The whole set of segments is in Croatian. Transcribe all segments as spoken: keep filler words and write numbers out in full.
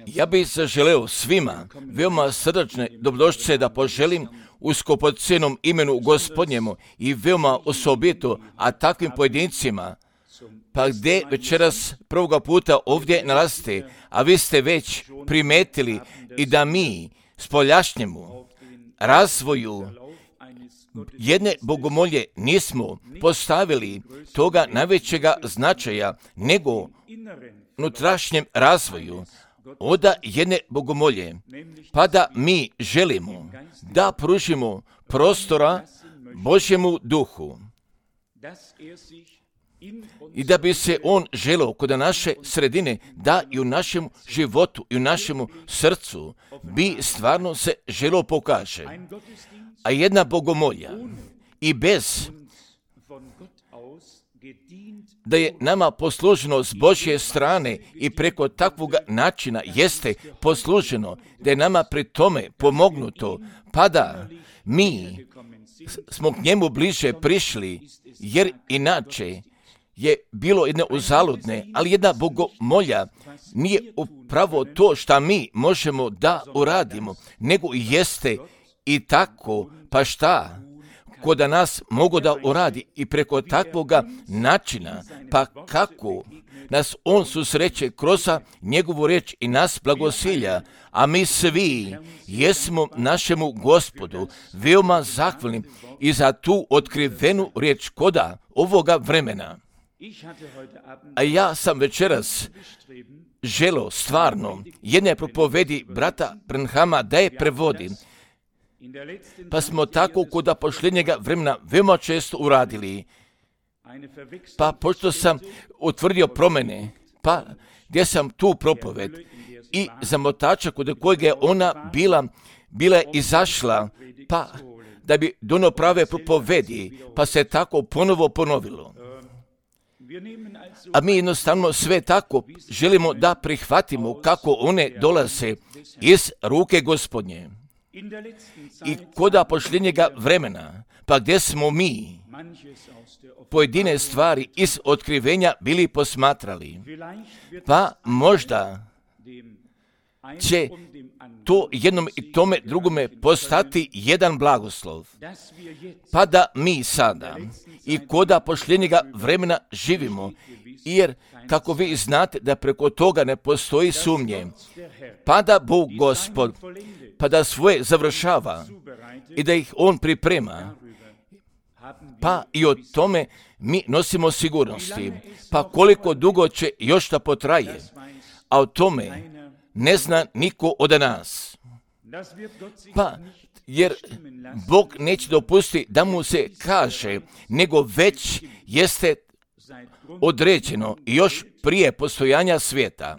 Ja bih zaželeo svima veoma srdačne dobrodošlice da poželim u skupocjenom imenu Gospodnjemu i veoma osobito, a takvim pojedincima, pa gdje večeras prvoga puta ovdje nalazite, a vi ste već primetili i da mi spoljašnjemu razvoju jedne bogomolje nismo postavili toga najvećega značaja, nego unutrašnjem razvoju oda jedne bogomolje, pa da mi želimo da pružimo prostora Božjemu duhu i da bi se on želeo kod naše sredine, da i u našem životu i u našemu srcu bi stvarno se želeo pokaže. A jedna bogomolja i bez da je nama posluženo s Božje strane i preko takvog načina jeste posluženo, da je nama pri tome pomognuto, pa da mi smo k njemu bliže prišli, jer inače je bilo jedne uzaludne, ali jedna bogomolja nije upravo to što mi možemo da uradimo, nego jeste i tako, pa šta? Ko da nas mogu da uradi i preko takvoga načina, pa kako nas on susreće kroz njegovu riječ i nas blagosilja, a mi svi jesmo našemu Gospodu veoma zahvalni i za tu otkrivenu riječ koda ovoga vremena. A ja sam večeras želeo stvarno jedne propovedi brata Branhama da je prevodi, pa smo tako kod posljednjega vremena veoma često uradili. Pa pošto sam utvrdio promjene, pa gdje sam tu propoved i zamotača kod kojeg je ona bila, bila je izašla, pa da bi donio prave propovedi, pa se tako ponovo ponovilo. A mi jednostavno sve tako želimo da prihvatimo kako one dolaze iz ruke Gospodnje. I koda posljednjega vremena, pa gdje smo mi pojedine stvari iz otkrivenja bili posmatrali, pa možda će to jednom i tome drugome postati jedan blagoslov, pa da mi sada i koda posljednjega vremena živimo, jer kako vi znate da preko toga ne postoji sumnje, pa da Bog Gospod, pa da svoje završava i da ih on priprema, pa i o tome mi nosimo sigurnosti, pa koliko dugo će još da potraje, a o tome ne zna niko od nas. Pa, jer Bog neće dopustiti da mu se kaže, nego već jeste određeno još prije postojanja svijeta.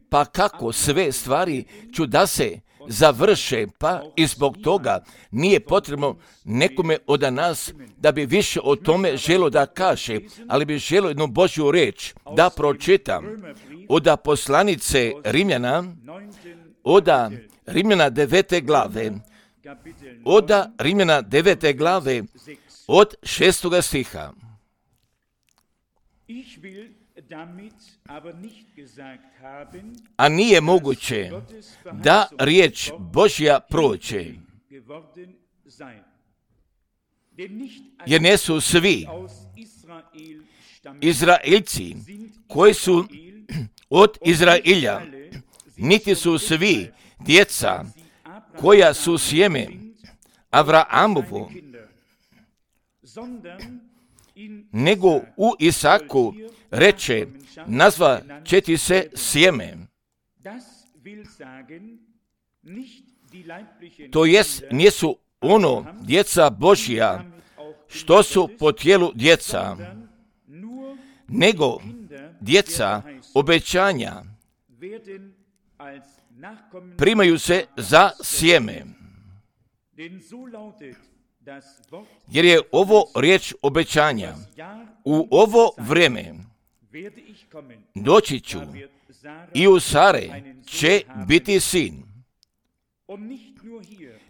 Pa kako sve stvari ću da se završe, pa i zbog toga nije potrebno nekome od nas da bi više o tome želo da kaže, ali bi želo jednu Božju riječ da pročitam od poslanice Rimljana, od Rimljana devete glave, od Rimljana devete glave, od šestoga stiha. A nije moguće da riječ Božja prođe, jer ne su svi Izraelci koji su od Izraelja, niti su svi djeca koja su sjeme Avraamovo, nego u Isaku reče, nazva će ti se sjeme. To jest, nisu ono djeca Božja, što su po tijelu djeca, nego djeca obećanja primaju se za sjeme. Jer je ovo riječ obećanja. U ovo vrijeme doći ću i u Sare će biti sin.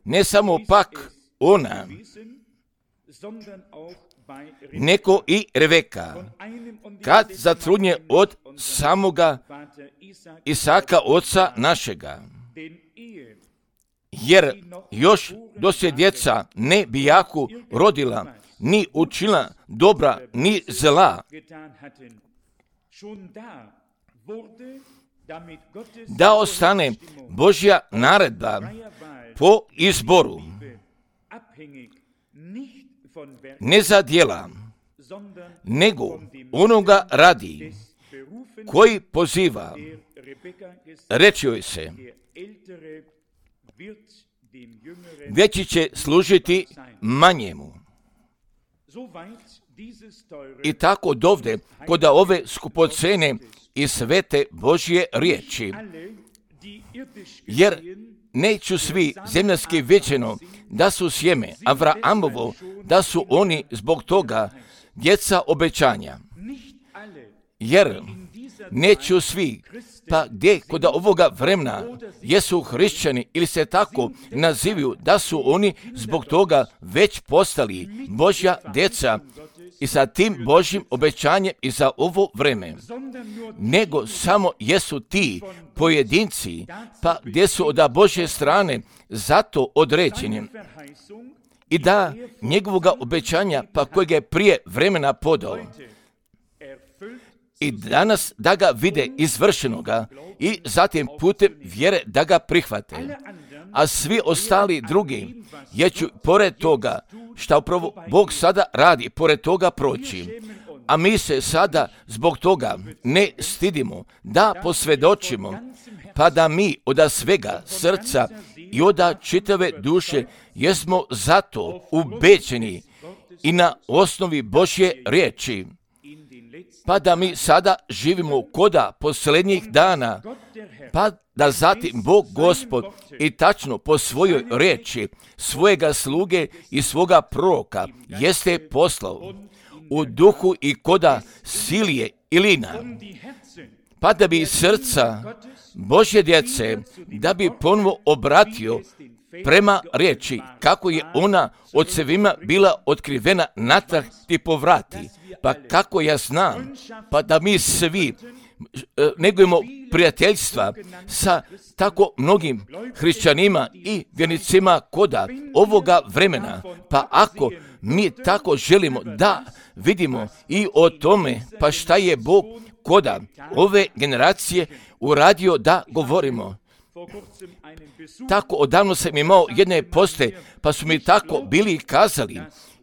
Ne samo pak ona, neko i Reveka, kad zatrudnje od samoga Isaka oca našega. Jer još dok se djeca ne bijaku rodila, ni učila dobra, ni zla, da ostane Božja naredba po izboru, ne za djela, nego onoga radi koji poziva. Reći joj se, veći će služiti manjemu. I tako dovde, kod ove skupocene i svete Božje riječi. Jer neću svi zemljanski viđeno da su sjeme Avraamovo, da su oni zbog toga djeca obećanja. Jer neću svi, pa gdje kod ovoga vremena jesu hrišćani ili se tako nazivaju, da su oni zbog toga već postali Božja djeca i sa tim Božjim obećanjem i za ovo vreme, nego samo jesu ti pojedinci, pa gdje su od Božje strane zato određeni i da njegovoga obećanja, pa kojeg je prije vremena podao, i danas da ga vide izvršenoga i zatim putem vjere da ga prihvate. A svi ostali drugi, jer ću pored toga, šta upravo Bog sada radi, pored toga proći. A mi se sada zbog toga ne stidimo da posvjedočimo, pa da mi od svega srca i od čitave duše jesmo zato ubeđeni i na osnovi Božje riječi, pa da mi sada živimo koda posljednjih dana, pa da zatim Bog Gospod i tačno po svojoj riječi svojega sluge i svoga proroka jeste poslao u duhu i koda Silije i Lina, pa da bi srca Božje djece, da bi ponovo obratio prema riječi, kako je ona ocevima bila otkrivena natrag ti povrati. Pa kako ja znam, pa da mi svi negujemo prijateljstva sa tako mnogim hrišćanima i vjernicima koda ovoga vremena, pa ako mi tako želimo da vidimo i o tome, pa šta je Bog koda ove generacije uradio da govorimo. Tako odavno sam imao jedne poste, pa su mi tako bili kazali,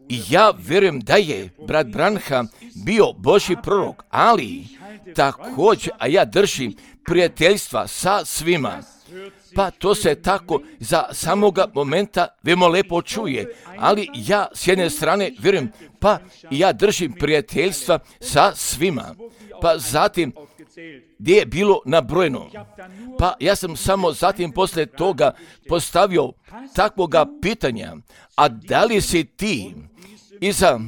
i ja vjerujem da je brat Branham bio Božji prorok, ali također, a ja držim prijateljstva sa svima. Pa to se tako za samoga momenta veoma lepo čuje, ali ja s jedne strane vjerujem, pa ja držim prijateljstva sa svima. Pa zatim, gdje je bilo nabrojeno, pa ja sam samo zatim poslije toga postavio takvoga pitanja, a da li si ti i sa,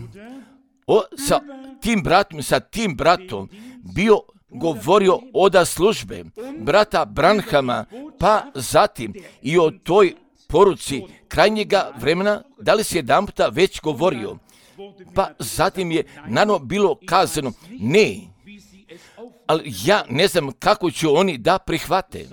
o, sa tim bratom, sa tim bratom bio govorio oda službe brata Branhama, pa zatim i o toj poruci krajnjega vremena, da li si jedan puta već govorio, pa zatim je naravno bilo kazano, ne, ali ja ne znam kako ću oni da prihvate.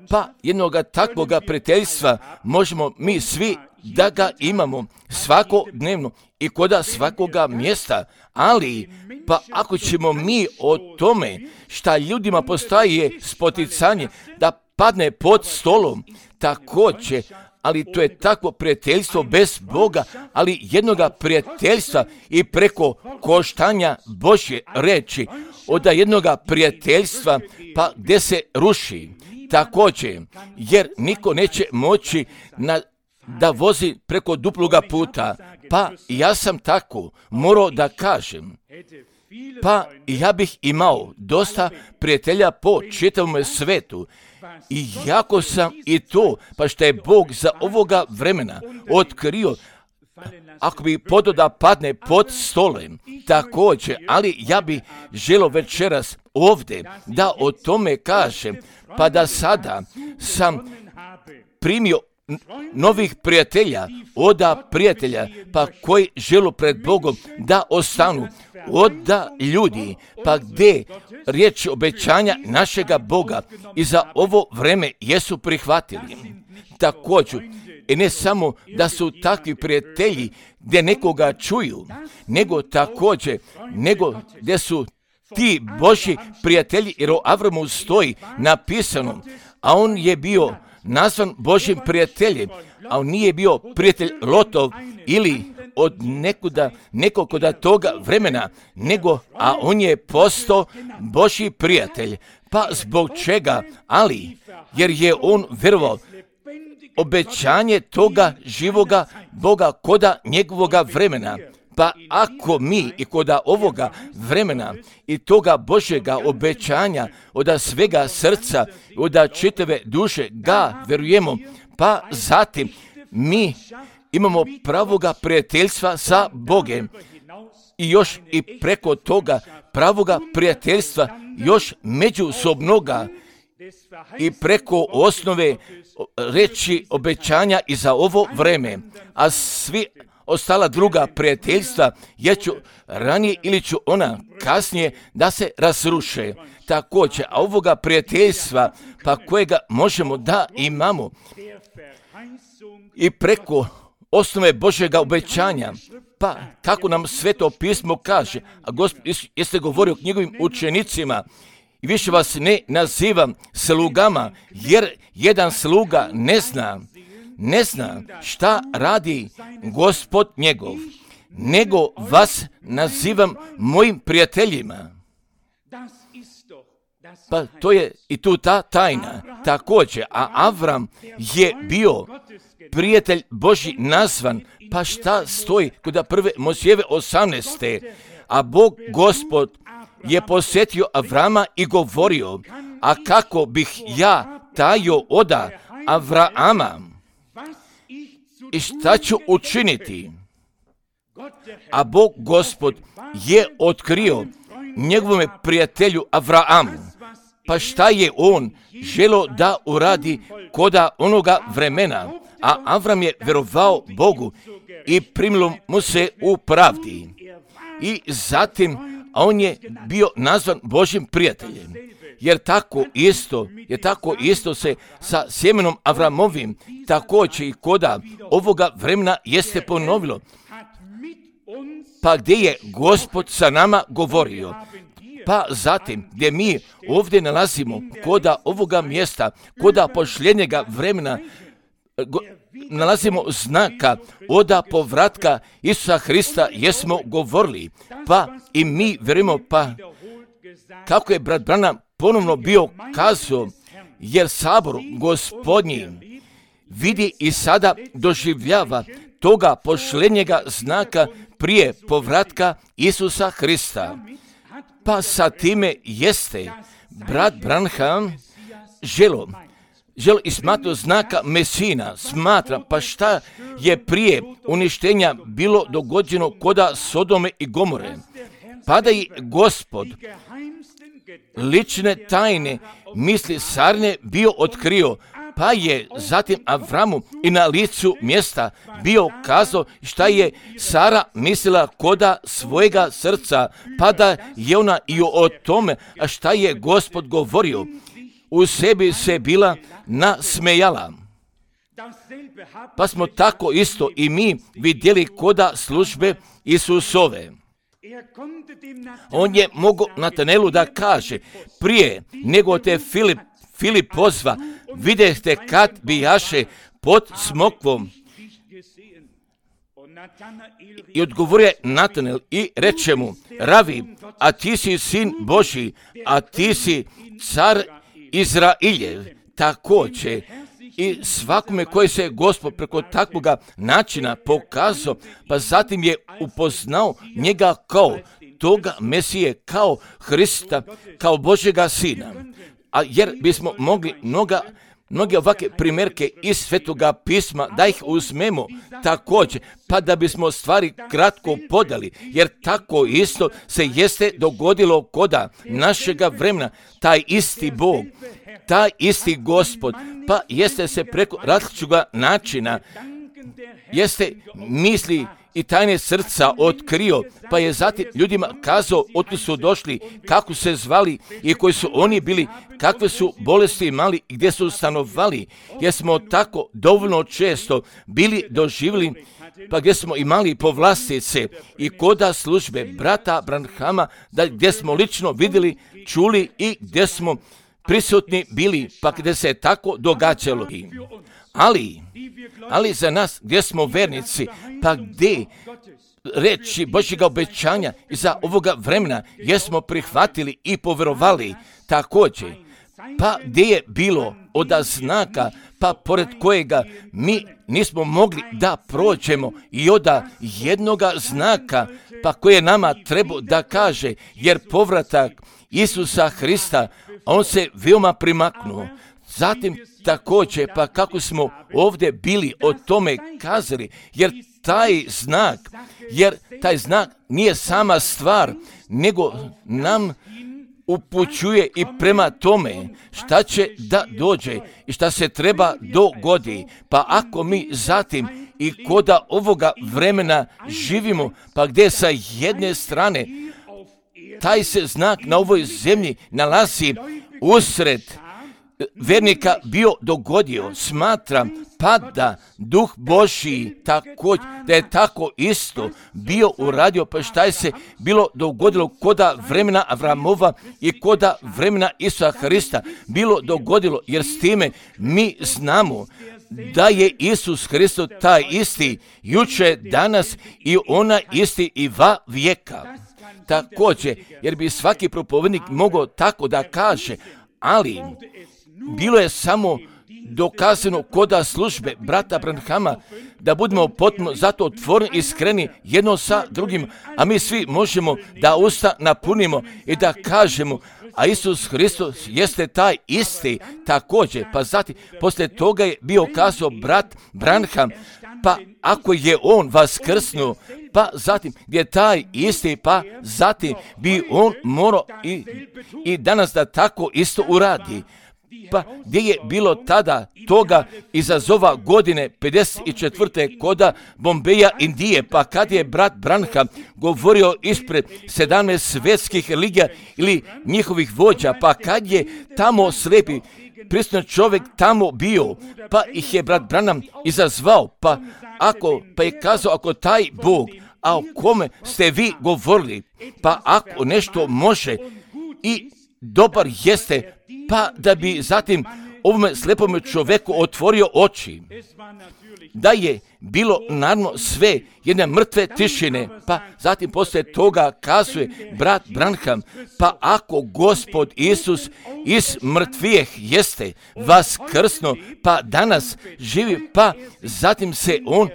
Pa jednoga takvoga prijateljstva možemo mi svi da ga imamo svakodnevno i koda svakoga mjesta, ali pa ako ćemo mi o tome šta ljudima postaje spoticanje da padne pod stolom, također, ali to je takvo prijateljstvo bez Boga, ali jednoga prijateljstva i preko koštanja Božje reči, od jednoga prijateljstva pa gdje se ruši. Također, jer niko neće moći na, da vozi preko duploga puta, pa ja sam tako morao da kažem, pa ja bih imao dosta prijatelja po čitavom svetu, i jako sam i to, pa što je Bog za ovoga vremena otkrio, ako bi podo da padne pod stolem, također, ali ja bi želio večeras ovdje da o tome kažem, pa da sada sam primio novih prijatelja, oda prijatelja, pa koji žele pred Bogom da ostanu, oda ljudi, pa gdje riječ obećanja našega Boga i za ovo vreme jesu prihvatili. Također, i ne samo da su takvi prijatelji gdje nekoga čuju, nego također, nego gdje su ti Božji prijatelji, jer o Avramu stoji napisano, a on je bio nazvan Božjim prijateljem, a on nije bio prijatelj Lotov ili od nekuda, nekoga toga vremena, nego, a on je postao Božji prijatelj. Pa zbog čega? Ali, jer je on vjerovao obećanje toga živoga Boga koda njegovoga vremena. Pa ako mi i koda ovoga vremena i toga Božjega obećanja od svega srca, od čitave duše ga vjerujemo, pa zatim mi imamo pravoga prijateljstva sa Bogem i još i preko toga pravoga prijateljstva još međusobnoga i preko osnove reći obećanja i za ovo vreme, a svi ostala druga prijateljstva je ću ranije ili ću ona kasnije da se razruše. Također, a ovoga prijateljstva pa kojega možemo da imamo i preko osnove Božjega obećanja, pa kako nam Sveto pismo kaže, a Gospod jeste govorio njegovim učenicima, i više vas ne nazivam slugama, jer jedan sluga ne zna, ne zna šta radi Gospod njegov, nego vas nazivam mojim prijateljima. Pa to je i tu ta tajna. Također, a Avram je bio prijatelj Božji nazvan, pa šta stoji kod prve Mojsijeve osamnaeste. A Bog Gospod je posjetio Avrama i govorio, a kako bih ja tajio oda Avrama i šta ću učiniti? A Bog Gospod je otkrio njegovome prijatelju Avramu, pa šta je on želio da uradi koda onoga vremena, a Avram je vjerovao Bogu i primilo mu se u pravdi. I zatim, a on je bio nazvan Božjim prijateljem, jer tako isto, jer tako isto se sa sjemenom Avramovim također i koda ovoga vremena jeste ponovilo. Pa gdje je Gospod sa nama govorio, pa zatim gdje mi ovdje nalazimo koda ovoga mjesta, koda pošljenjega vremena, go, nalazimo znaka oda povratka Isusa Hrista, jesmo govorili, pa i mi vjerujemo, pa kako je brat Branham ponovno bio kazao, jer sabor Gospodnji vidi i sada doživljava toga pošljenjega znaka prije povratka Isusa Hrista. Pa sa time jeste brat Branham želo, želo i smatra znaka Mesina, smatra, pa šta je prije uništenja bilo dogođeno koda Sodome i Gomore, pa da i Gospod lične tajne misli Sarne bio otkrio, pa je zatim Avramu i na licu mjesta bio kazao šta je Sara mislila koda svojega srca, pa da je ona i o tome, a šta je Gospod govorio, u sebi se bila nasmejala. Pa smo tako isto i mi vidjeli koda službe Isusove. On je mogao Natanelu da kaže, prije nego te Filip, Filip pozva, vidjeste kad bijaše pod smokvom. I odgovorio je Natanel i reče mu, Ravi, a ti si sin Božji, a ti si car Izrailjev. Također i svakome koji se Gospod preko takvoga načina pokazao, pa zatim je upoznao njega kao toga Mesije, kao Hrista, kao Božjega sina. A jer bismo mogli mnoga, mnoge ovakve primjerke iz Svetoga pisma da ih uzmemo također, pa da bismo stvari kratko podali, jer tako isto se jeste dogodilo koda našega vremena, taj isti Bog, taj isti Gospod, pa jeste se preko različitoga načina, jeste misli i tajne srca otkrio, pa je zatim ljudima kazao otkud su došli, kako se zvali i koji su oni bili, kakve su bolesti imali i gdje su stanovali, jer smo tako dovoljno često bili doživjeli, pa gdje smo imali povlastice i koda službe brata Branhama, da gdje smo lično vidjeli, čuli i gdje smo prisutni bili, pa gdje se tako događalo. Ali, ali za nas gdje smo vernici, pa gdje reći Božjega obećanja i za ovoga vremena jesmo prihvatili i povjerovali također, pa gdje je bilo od znaka, pa pored kojega mi nismo mogli da prođemo i od jednoga znaka, pa koje nama treba da kaže, jer povratak Isusa Hrista, on se veoma primaknuo. Zatim također, pa kako smo ovdje bili o tome kazali, jer taj znak, jer taj znak nije sama stvar, nego nam upućuje i prema tome šta će da dođe i šta se treba dogodi. Pa ako mi zatim i koda ovoga vremena živimo, pa gdje sa jedne strane taj se znak na ovoj zemlji nalazi usred vernika bio dogodio, smatram pa da Duh Božji također, da je tako isto bio uradio, pa šta je se bilo dogodilo koda vremena Avramova i koda vremena Isusa Hrista bilo dogodilo, jer s time mi znamo da je Isus Hristos taj isti juče, danas i ona isti i va vijeka. Također, jer bi svaki propovednik mogao tako da kaže, ali bilo je samo dokazano koda službe brata Branhama da budemo potpuno zato otvoreni i iskreni jedno sa drugim, a mi svi možemo da usta napunimo i da kažemo, a Isus Hristos jeste taj isti također. Pa zatim, poslije toga je bio kazao brat Branham, pa ako je on vaskrsnuo, pa zatim gdje taj isti, pa zatim bi on morao i, i danas da tako isto uradi. Pa gdje je bilo tada toga izazova godine pedeset četvrte koda Bombeja, Indije, pa kad je brat Branham govorio ispred sedamnaest svjetskih religija ili njihovih vođa, pa kad je tamo slijepi prisutan čovjek tamo bio, pa ih je brat Branham izazvao, pa ako, pa je kazao, ako taj Bog, a o kome ste vi govorili, pa ako nešto može i dobar jeste, pa da bi zatim ovome slepome čovjeku otvorio oči. Da je bilo naravno sve jedne mrtve tišine, pa zatim poslije toga kazuje brat Branham, pa ako Gospod Isus iz mrtvijeh jeste vaskrsno, pa danas živi, pa zatim se on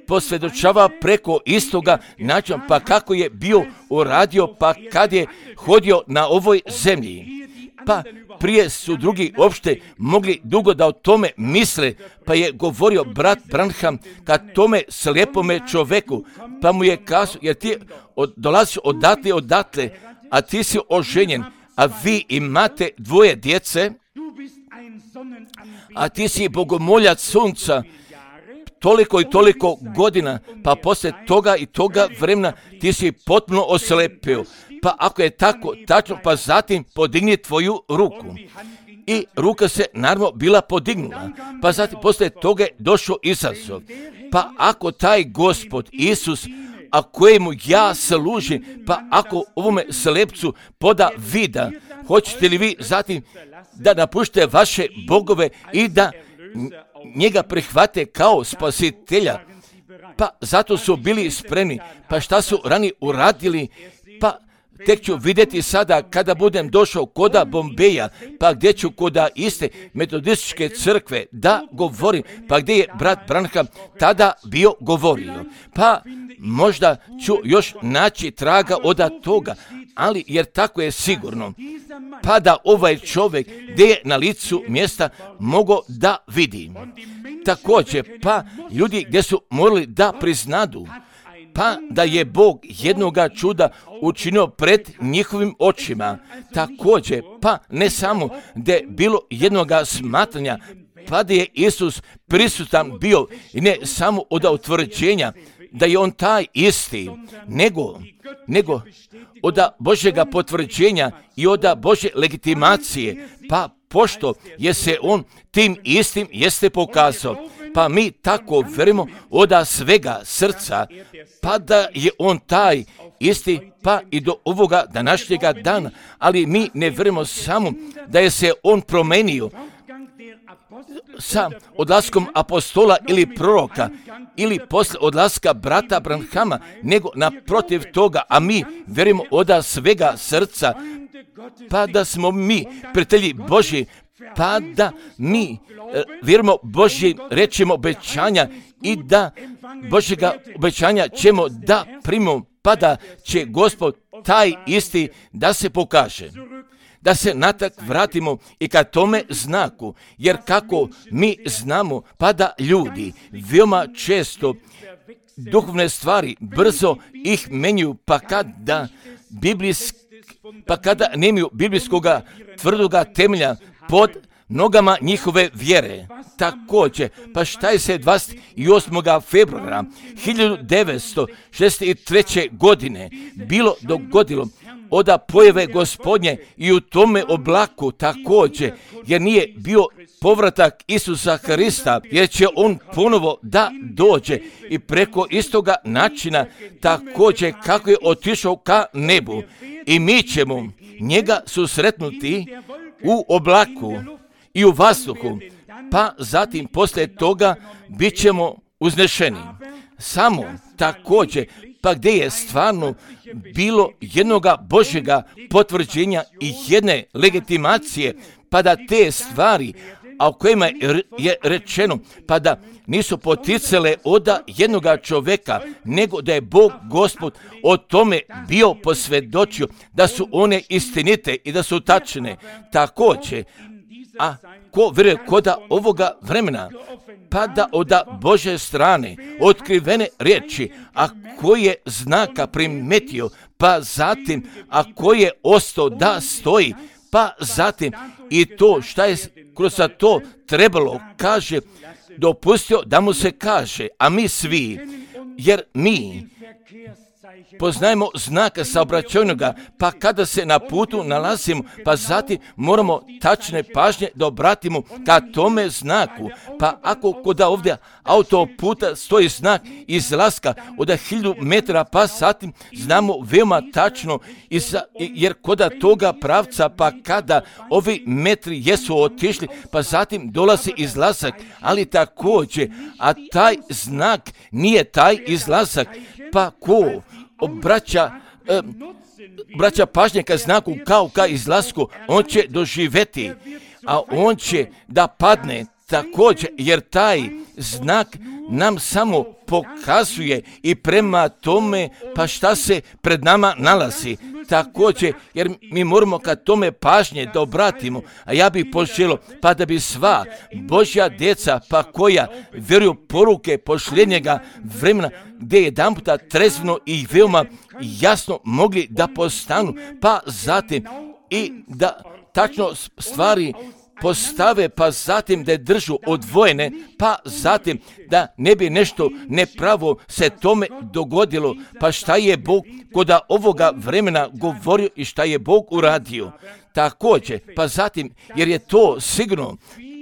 posvjedočava preko istoga načina, pa kako je bio uradio, pa kad je hodio na ovoj zemlji. Pa prije su drugi uopšte mogli dugo da o tome misle, pa je govorio brat Branham kad tome slijepome čoveku, pa mu je kazao, jer ti od, dolaziš odatle, odatle, a ti si oženjen, a vi imate dvoje djece, a ti si bogomoljac sunca, toliko i toliko godina, pa poslije toga i toga vremena ti si potpuno oslepio. Pa ako je tako tačno, pa zatim podigni tvoju ruku. I ruka se naravno bila podignula, pa zatim poslije toga je došao izazov. Pa ako taj Gospod Isus, a kojemu ja služim, pa ako ovome slepcu poda vida, hoćete li vi zatim da napuštite vaše bogove i da njega prihvate kao spasitelja? Pa zato su bili spremni. Pa šta su rani uradili? Pa tek ću vidjeti sada kada budem došao koda Bombeja, pa gdje ću koda iste metodističke crkve da govorim, pa gdje je brat Branham tada bio govorio. Pa možda ću još naći traga od toga, ali jer tako je sigurno, pa da ovaj čovjek gdje je na licu mjesta mogao da vidi. Također, pa ljudi gdje su morali da priznadu, pa da je Bog jednoga čuda učinio pred njihovim očima. Također, pa ne samo da je bilo jednoga smatranja, pa da je Isus prisutan bio i ne samo od utvrđenja da je on taj isti, nego, nego od Božjega potvrđenja i od Božje legitimacije, pa pošto je se on tim istim jeste pokazao, pa mi tako verimo od svega srca, pa da je on taj isti, pa i do ovoga današnjega dana, ali mi ne verimo samo da je se on promenio sa odlaskom apostola ili proroka ili posle odlaska brata Branhama, nego naprotiv toga, a mi verimo od svega srca, pa da smo mi prijatelji Božji, pa da mi e, vjerujemo Božji rečima obećanja i da Božjega obećanja ćemo da primimo, pa da će Gospod taj isti da se pokaže. Da se natak vratimo i ka tome znaku, jer kako mi znamo, pa da ljudi veoma često duhovne stvari brzo ih menjuju, pa kada biblijsk, pa kada nemaju biblijskoga tvrdoga temelja pod nogama njihove vjere. Također, pa šta je se dvadeset osmog februara hiljadu devetsto šezdeset treće. godine bilo dogodilo od pojave Gospodnje i u tome oblaku također, jer nije bio povratak Isusa Hrista, jer će on ponovo da dođe i preko istoga načina također kako je otišao ka nebu i mi ćemo njega susretnuti u oblaku i u vazduhu, pa zatim poslije toga bit ćemo uznešeni. Samo također, pa gdje je stvarno bilo jednoga Božjega potvrđenja i jedne legitimacije, pa da te stvari, a o kojima je rečeno, pa da nisu poticale od jednoga čovjeka, nego da je Bog Gospod o tome bio posvjedočio, da su one istinite i da su tačne. Također, a ko vjeruje koda ovoga vremena, pa da od Božje strane otkrivene riječi, a koji je znaka primetio, pa zatim, a koji je ostao da stoji, pa zatim i to šta je kroz to trebalo, kaže, dopustio da mu se kaže, a mi svi, jer mi poznajemo znaka saobraćajnoga, pa kada se na putu nalazimo, pa zatim moramo tačne pažnje da obratimo ka tome znaku. Pa ako kod ovdje autoputa stoji znak izlaska od hiljadu metara, pa zatim znamo veoma tačno, jer kod toga pravca, pa kada ovi metri jesu otišli, pa zatim dolazi izlazak, ali također, a taj znak nije taj izlazak, pa ko obraća, eh, obraća pažnje ka znaku kao ka izlasku, on će doživjeti, a on će da padne također, jer taj znak nam samo pokazuje i prema tome pa šta se pred nama nalazi. Također, jer mi moramo ka tome pažnje da obratimo, a ja bih poželio pa da bi sva Božja djeca, pa koja vjeruju poruke pošljenjega vremena, gdje jedan puta trezveno i veoma jasno mogli da postanu, pa zatim i da tačno stvari postave, pa zatim da je držu odvojene, pa zatim da ne bi nešto nepravo se tome dogodilo, pa šta je Bog kod ovoga vremena govorio i šta je Bog uradio. Također, pa zatim, jer je to sigurno,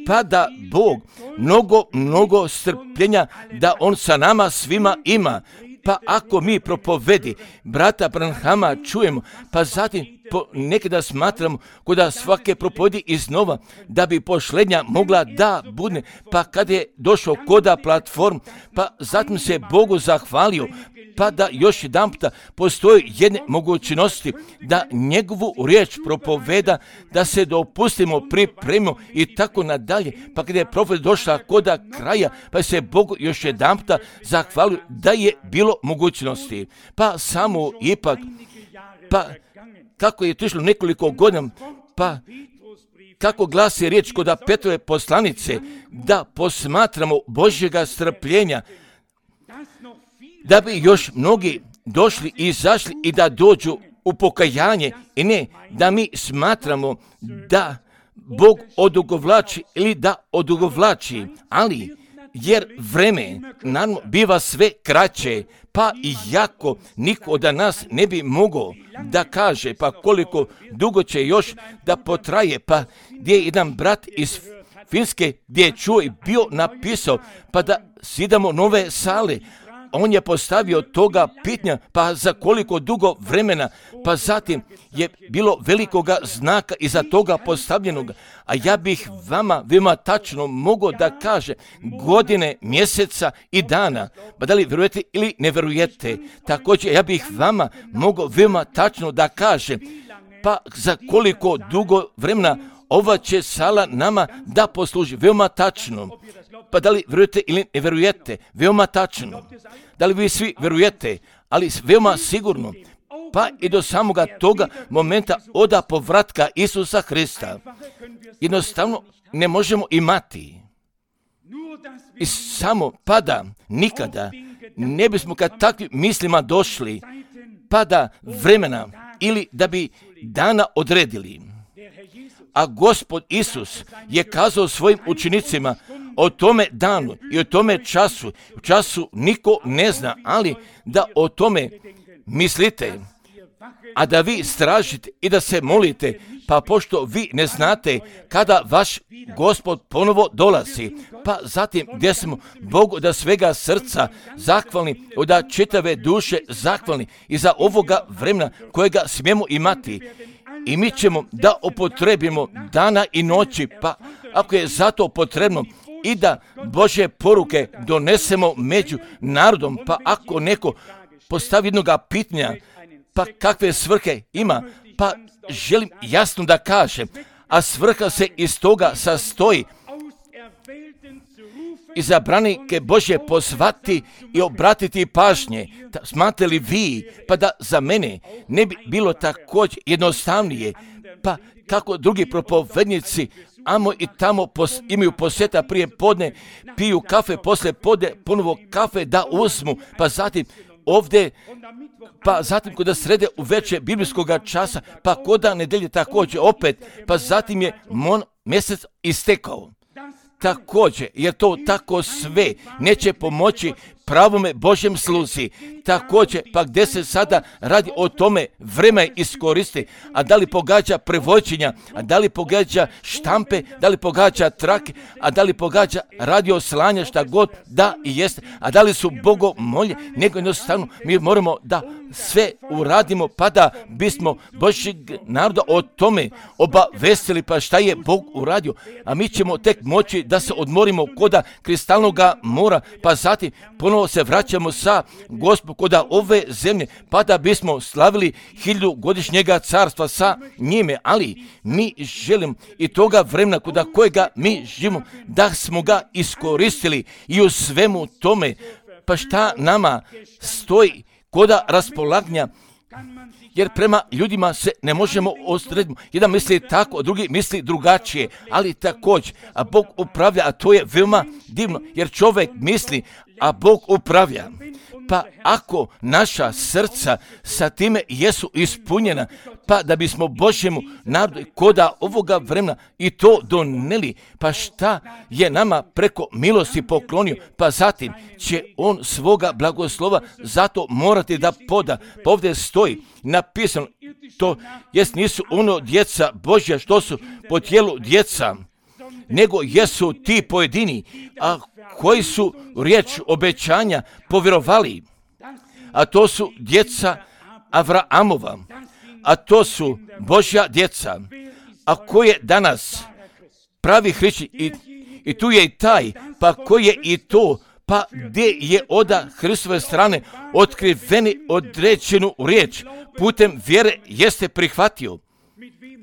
pa da Bog mnogo, mnogo strpljenja da On sa nama svima ima. Pa ako mi propovedi brata Branhama čujemo, pa zatim po, nekada smatramo kod svake propovedi iznova, da bi pošlednja mogla da bude, pa kad je došao koda platform, pa zatim se Bogu zahvalio, pa da još jedan puta postoji jedne mogućnosti da njegovu riječ propoveda, da se dopustimo, pripremimo i tako nadalje, pa kada je propoved došla koda kraja, pa se Bogu još jedan puta zahvalio da je bilo mogućnosti. Pa samo ipak, pa kako je to išlo nekoliko godina, pa kako glasi riječ kod Petrove poslanice, da posmatramo Božjega strpljenja, da bi još mnogi došli i izašli i da dođu u pokajanje i ne da mi smatramo da Bog odugovlači ili da odugovlači, ali jer vreme naravno biva sve kraće, pa i jako niko od nas ne bi mogao da kaže pa koliko dugo će još da potraje, pa gdje je jedan brat iz Finske gdje je čuo i bio napisao pa da sidamo nove sale. On je postavio toga pitanja, pa za koliko dugo vremena, pa zatim je bilo velikoga znaka iza toga postavljenog. A ja bih vama veoma tačno mogao da kaže godine, mjeseca i dana. Pa da li vjerujete ili ne vjerujete? Također ja bih vama mogao veoma tačno da kaže pa za koliko dugo vremena ova će sala nama da posluži. Veoma tačno. Pa da li vjerujete ili ne vjerujete? Veoma tačno. Da li vi svi vjerujete? Ali veoma sigurno. Pa i do samoga toga momenta oda povratka Isusa Hrista. Jednostavno ne možemo imati. I samo pada nikada ne bismo kad takvim mislima došli pada vremena ili da bi dana odredili. A Gospod Isus je kazao svojim učenicima o tome danu i o tome času. U času niko ne zna, ali da o tome mislite, a da vi stražite i da se molite, pa pošto vi ne znate kada vaš Gospod ponovo dolazi, pa zatim gdje smo Bogu da svega srca zahvalni, da čitave duše zahvalni i za ovoga vremena kojega smijemo imati. I mi ćemo da upotrebimo dana i noći, pa ako je zato potrebno i da Božje poruke donesemo među narodom, pa ako neko postavi jednoga pitanja, pa kakve svrhe ima, pa želim jasno da kažem, a svrha se iz toga sastoji izabranike Božje pozvati i obratiti pažnje. Smatrate li vi, pa da za mene ne bi bilo također jednostavnije, pa kako drugi propovednici amo i tamo pos, imaju posjeta prije podne, piju kafe, poslije podne ponovo kafe da uzmu, pa zatim ovdje, pa zatim kada srede u veće biblijskoga časa, pa koda nedelje također opet, pa zatim je mon mjesec istekao. Također, jer to tako sve neće pomoći pravome Božjem sluzi. Također, pa gdje se sada radi o tome vreme iskoristi, a da li pogađa prevođenja, a da li pogađa štampe, da li pogađa trake, a da li pogađa radio slanja, šta god da i jeste, a da li su bogomolje, nego jednostavno mi moramo da sve uradimo pa da bismo Božjeg naroda o tome obavestili, pa šta je Bog uradio, a mi ćemo tek moći da se odmorimo koda kristalnoga mora, pa zatim ponovo se vraćamo sa Gospodom koda ove zemlje, pa da bismo slavili hiljadu godišnjega carstva sa njime, ali mi želimo i toga vremena koda kojega mi živimo, da smo ga iskoristili i u svemu tome, pa šta nama stoji koda raspolaganja, jer prema ljudima se ne možemo odrediti. Jedan misli tako, drugi misli drugačije, ali također, a Bog upravlja, a to je veoma divno, jer čovjek misli, a Bog upravlja. Pa ako naša srca sa time jesu ispunjena, pa da bismo Božjemu narodu koda ovoga vremena i to doneli, pa šta je nama preko milosti poklonio, pa zatim će on svoga blagoslova zato morati da poda. Pa ovdje stoji napisano, to jest nisu ono djeca Božja što su po tijelu djeca, nego jesu ti pojedini, a koji su riječ obećanja povjerovali, a to su djeca Avraamova, a to su Božja djeca, a koje danas pravi hrišćani, i, i tu je i taj, pa koji je i to, pa gdje je oda Hristove strane otkriveni određenu riječ, putem vjere jeste prihvatio.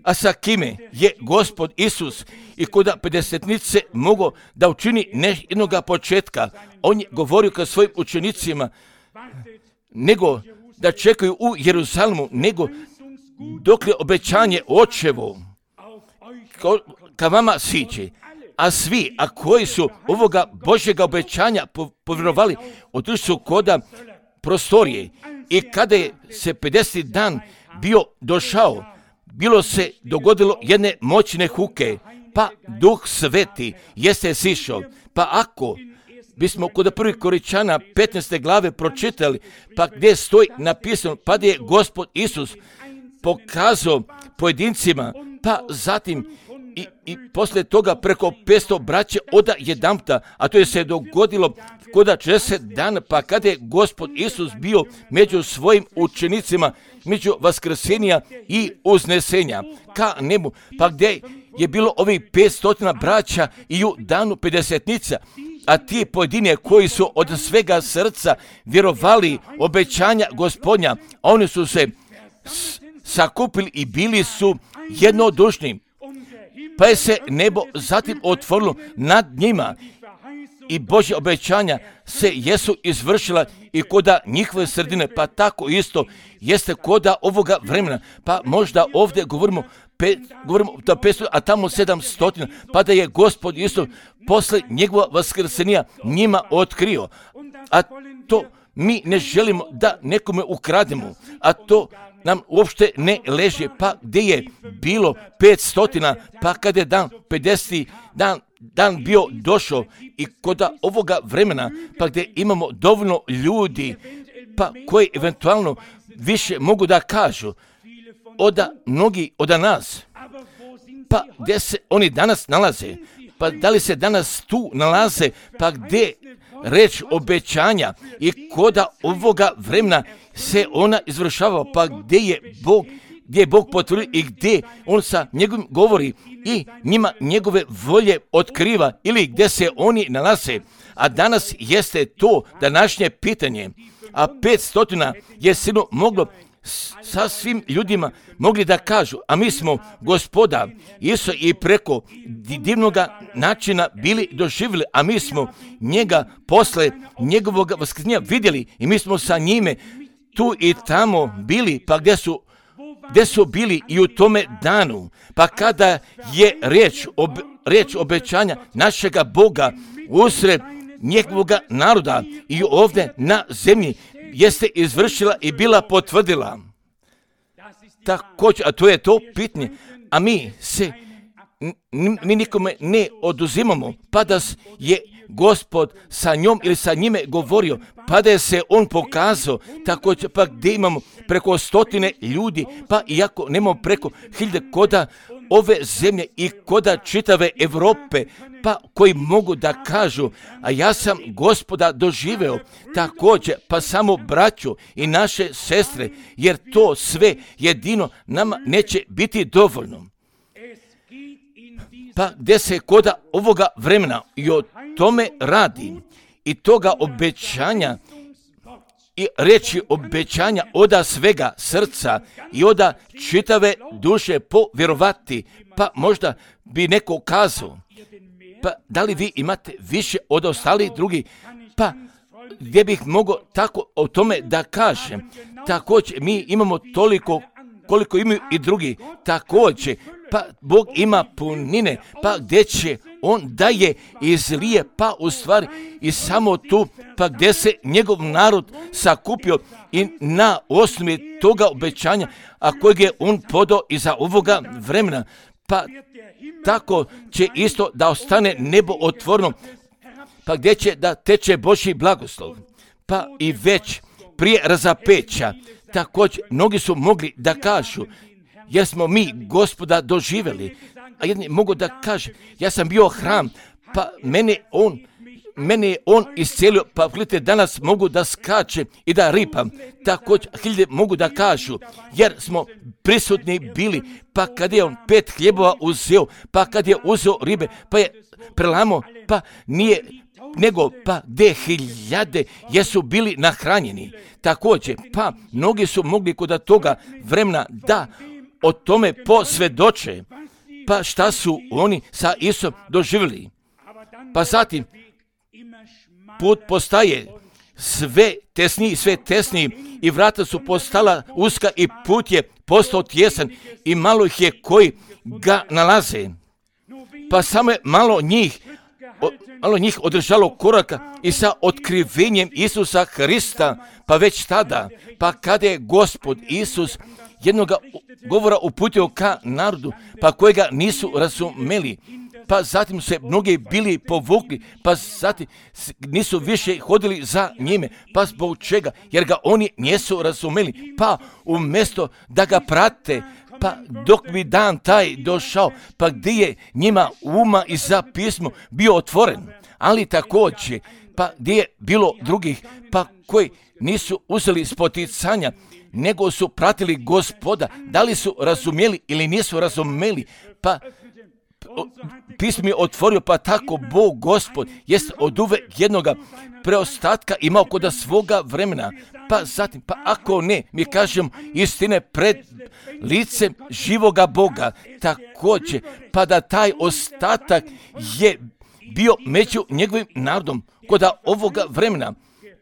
A sa kime je Gospod Isus i koda pedesetnice mogao da učini ne jednoga početka, on je govorio ka svojim učenicima, nego da čekaju u Jeruzalemu, nego dok je obećanje očevo ka vama siđe, a svi, a koji su ovoga Božjega obećanja povjerovali, otišli su koda prostorije. I kada je se pedeseti dan bio došao, bilo se dogodilo jedne moćne huke, pa Duh Sveti jeste sišao. Pa ako bismo kod prvih Koričana petnaeste glave pročitali, pa gdje stoji napisano, pa da je Gospod Isus pokazao pojedincima, pa zatim i, i poslije toga preko petsto braće oda jedanputa, a to je se dogodilo kod četrdeset dana, pa kada je Gospod Isus bio među svojim učenicima, među vaskrsenja i uznesenja ka nebu, pa gdje je bilo ovih petsto braća i u danu pedesetnica, a ti pojedine koji su od svega srca vjerovali obećanja Gospodnja, oni su se s- sakupili i bili su jednodušni, pa je se nebo zatim otvorilo nad njima i Božje obećanja se jesu izvršila i koda njihove sredine, pa tako isto jeste koda ovoga vremena, pa možda ovdje govorimo Pe, govorimo da petsto, a tamo sedamsto, pa da je Gospod isto posle njegova vaskrsenja njima otkrio. A to mi ne želimo da nekome ukrademo, a to nam uopšte ne leži. Pa gdje je bilo petsto, pa kada je dan pedeseti dan, dan bio došao i koda ovoga vremena, pa gdje imamo dovoljno ljudi, pa koji eventualno više mogu da kažu, oda mnogi od nas, pa gdje se oni danas nalaze, pa da li se danas tu nalaze, pa gdje reč obećanja i koda ovoga vremena se ona izvršava, pa gdje je Bog, gdje je Bog potvrdio i gdje on sa njegovim govori i njima njegove volje otkriva ili gdje se oni nalaze. A danas jeste to današnje pitanje, a petsto je sigurno moglo sa svim ljudima mogli da kažu, a mi smo Gospoda Isu i preko divnoga načina bili doživjeli, a mi smo njega posle njegovog vaskrsenja vidjeli i mi smo sa njime tu i tamo bili, pa gdje su, gdje su bili i u tome danu, pa kada je riječ, ob, riječ obećanja našega Boga usred njegovoga naroda i ovdje na zemlji jeste izvršila i bila potvrdila. Također, a to je to pitanje, a mi se, n- mi nikome ne oduzimamo, pa da je Gospod sa njom ili sa njime govorio, pa da je se on pokazao, također, pa gdje imamo preko stotine ljudi, pa iako nemamo preko hiljade koda ove zemlje i koda čitave Europe, pa koji mogu da kažu, a ja sam Gospoda doživeo, također, pa samo braću i naše sestre, jer to sve jedino nama neće biti dovoljno. Pa gdje se koda ovoga vremena i o tome radi i toga obećanja i reći obećanja oda svega srca i oda čitave duše povjerovati, pa možda bi neko kazao, pa da li vi imate više od ostalih drugih, pa gdje bih mogao tako o tome da kažem, također mi imamo toliko koliko imaju i drugi, također, pa Bog ima punine, pa gdje će on daje izlije, pa u stvari i samo tu, pa gdje se njegov narod sakupio i na osnovi toga obećanja, a kojeg je on podao iza ovoga vremena, pa tako će isto da ostane nebo otvoreno, pa gdje će da teče Božji blagoslov, pa i već prije razapeća, također mnogi su mogli da kažu, jer smo mi Gospoda doživjeli, a jedni mogu da kaže, ja sam bio hram, pa mene on, mene je on iscijelio, pa gledajte, danas mogu da skačem i da ripam, također hiljade mogu da kažu, jer smo prisutni bili, pa kad je on pet hljebova uzeo, pa kad je uzeo ribe, pa je prelamo, pa nije nego pa gdje hiljade jesu bili nahranjeni. Također, pa mnogi su mogli kod toga vremena da o tome posvjedoče, pa šta su oni sa Isusom doživjeli. Pa zatim, put postaje sve tesniji, sve tesniji i vrata su postala uska i put je postao tjesan i malo ih je koji ga nalaze. Pa samo je malo njih o, malo njih održalo koraka i sa otkrivenjem Isusa Hrista, pa već tada, pa kada je Gospod Isus jednoga govora uputio ka narodu, pa kojega nisu razumeli, pa zatim se mnogi bili povukli, pa zatim nisu više hodili za njime. Pa zbog čega? Jer ga oni nisu razumeli. Pa umjesto da ga prate, pa dok bi dan taj došao, pa gdje je njima uma i za pismo bio otvoren, ali također, pa gdje je bilo drugih, pa koji nisu uzeli spoticanja, nego su pratili Gospoda, da li su razumjeli ili nisu razumjeli, pa pismo je otvorio, pa tako Bog Gospod jest od uvek jednoga preostatka imao kod svoga vremena, pa zatim, pa ako ne, mi kažemo istine pred licem živoga Boga, također, pa da taj ostatak je bio među njegovim narodom kod ovoga vremena,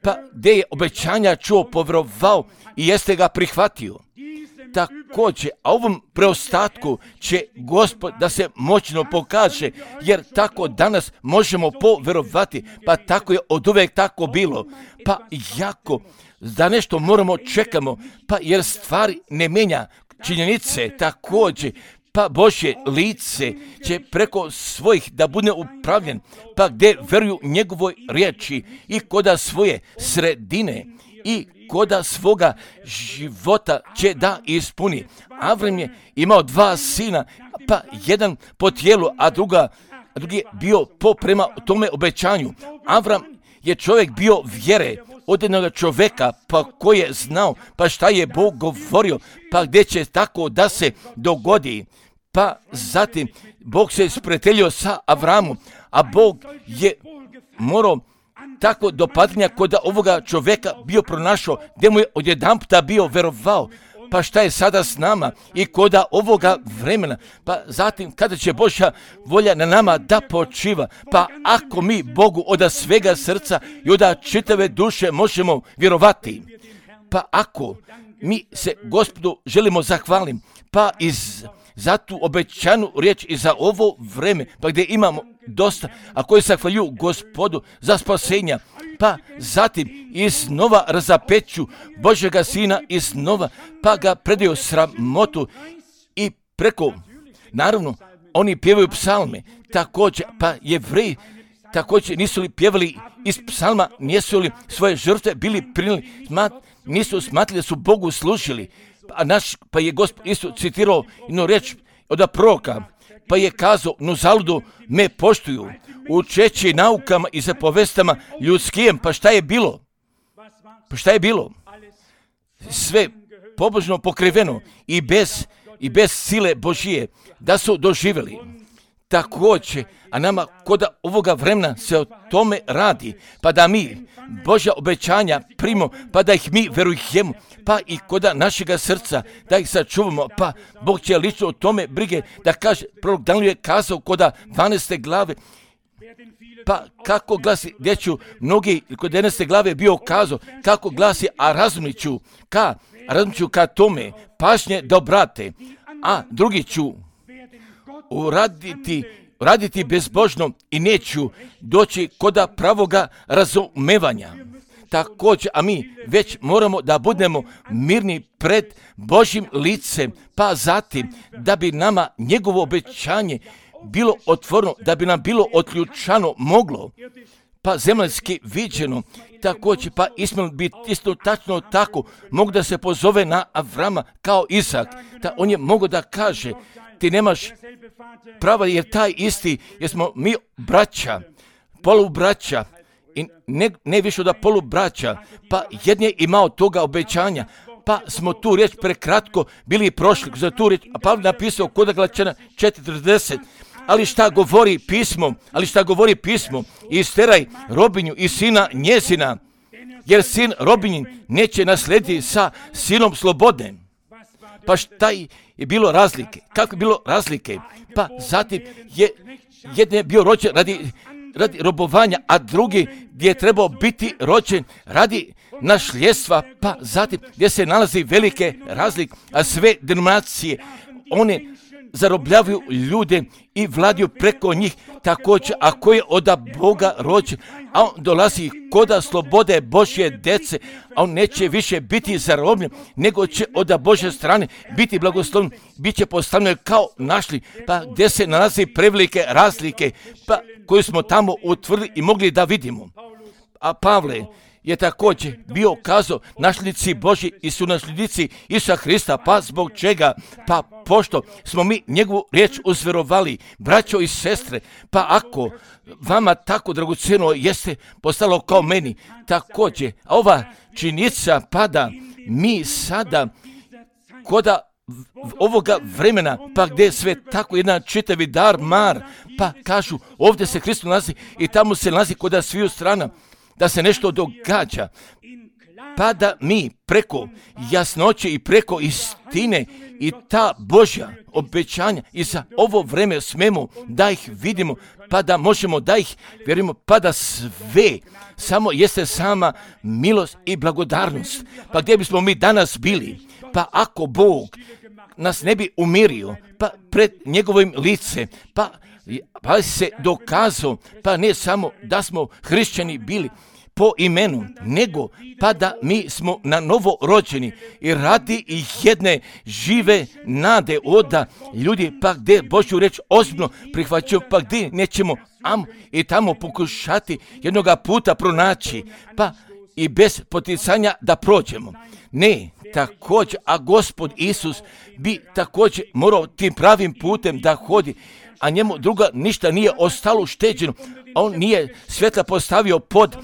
pa gdje je obećanja čuo, povjerovao i jeste ga prihvatio. Također, a ovom preostatku će Gospod da se moćno pokaže, jer tako danas možemo povjerovati, pa tako je od uvek tako bilo. Pa jako da nešto moramo čekamo, pa jer stvari ne mijenja činjenice, također, pa Božje lice će preko svojih da bude upravljen, pa gdje veruju njegovoj riječi i koda svoje sredine i koda svoga života će da ispuni. Avram je imao dva sina, pa jedan po tijelu, a druga, a drugi je bio po prema tome obećanju. Avram je čovjek bio vjere, od jednog čovjeka, pa koji je znao, pa šta je Bog govorio, pa gdje će tako da se dogodi. Pa zatim Bog se sprijateljio sa Avramom, a Bog je morao tako do padanja kod ovoga čovjeka bio pronašao, gdje mu je odjedanputa bio verovao. Pa šta je sada s nama i kod ovoga vremena, pa zatim kada će Božja volja na nama da počiva, pa ako mi Bogu od svega srca i od čitave duše možemo vjerovati, pa ako mi se Gospodu želimo zahvalim, pa iz za tu obećanu riječ i za ovo vreme, pa gdje imamo dosta, a koji zahvaljuju Gospodu za spasenja, pa zatim iznova razapeću Božjega Sina iznova, pa ga predaju sramotu i preko, naravno, oni pjevaju psalme, također, pa Jevreji također nisu li pjevali iz psalma, nisu li svoje žrtve bili prinijeli, smat, nisu smatrali da su Bogu služili. A naš, pa je Gospod isto citirao jednu riječ od proroka, pa je kazao, no zaludu me poštuju, učeći naukama i zapovestama ljudskim, pa šta je bilo? Pa šta je bilo? Sve pobožno pokriveno i bez, i bez sile Božije, da su doživjeli. Također, a nama kod ovoga vremena se o tome radi, pa da mi Božja obećanja primimo, pa da ih mi verujemo, pa i kod našega srca da ih sačuvamo, pa Bog će lično o tome brige, da kaže, prorok Danijel je kazao kod dvanaeste glave, pa kako glasi, gdje ću mnogi kod jedanaeste glave bio kazao, kako glasi, a razumit ću ka, razumit ću ka tome, pažnje da obrate, a drugi ću uraditi, raditi bezbožno i neću doći kod pravoga razumevanja. Također, a mi već moramo da budemo mirni pred Božjim licem, pa zatim da bi nama njegovo obećanje bilo otvoreno, da bi nam bilo otključano moglo, pa zemaljski viđeno, također, pa Ismail bi isto tačno tako mogu da se pozove na Avrama kao Isak, da on je mogo da kaže, ti nemaš prava jer taj isti, jer smo mi braća, polubraća, i ne, ne više od polubraća, pa jedan je imao toga obećanja, pa smo tu riječ prekratko bili prošli za tu riječ, a Pavle napisao kod Galačana četrdeset, ali šta govori pismo, ali šta govori pismo, isteraj robinju i sina njezina, jer sin robinjin neće naslediti sa sinom slobodne. Pa šta je bilo razlike? Kako je bilo razlike? Pa zatim je jedan je bio rođen radi, radi robovanja, a drugi gdje je trebao biti rođen radi našljestva, pa zatim gdje se nalazi velike razlike, a sve denominacije, one zarobljavaju ljude i vladaju preko njih, također ako je od Boga rođen, a on dolazi koda slobode Božje dece, a on neće više biti zarobljen, nego će od Božje strane biti blagoslovljen, bit će postavljen kao našli, pa gdje se nalazi prevelike razlike, pa koju smo tamo utvrdili i mogli da vidimo. A Pavle je također bio kazao našlici Božji i su našlici Isusa Hrista, pa zbog čega? Pa pošto smo mi njegovu riječ uzverovali, braćo i sestre, pa ako vama tako dragocjeno jeste postalo kao meni, također, a ova činjenica pada mi sada koda ovoga vremena, pa gdje je sve tako jedan čitavi dar mar, pa kažu ovdje se Hristos nalazi i tamo se nalazi koda sviju strana, da se nešto događa, pa da mi preko jasnoće i preko istine i ta Božja obećanja i za ovo vreme smemo da ih vidimo, pa da možemo da ih vjerujemo, pa da sve samo jeste sama milost i blagodarnost. Pa gdje bismo mi danas bili? Pa ako Bog nas ne bi umirio, pa pred njegovim lice, pa pa se dokazao, pa ne samo da smo hrišćani bili po imenu, nego pa da mi smo na novo rođeni i radi i jedne žive nade oda ljudi, pa gdje Božju reč ozbiljno prihvaćaju, pa gdje nećemo am i tamo pokušati jednoga puta pronaći, pa i bez poticanja da prođemo. Ne, također, a Gospod Isus bi također morao tim pravim putem da hodi, a njemu druga ništa nije ostalo šteđeno. On nije svjetla postavio pod,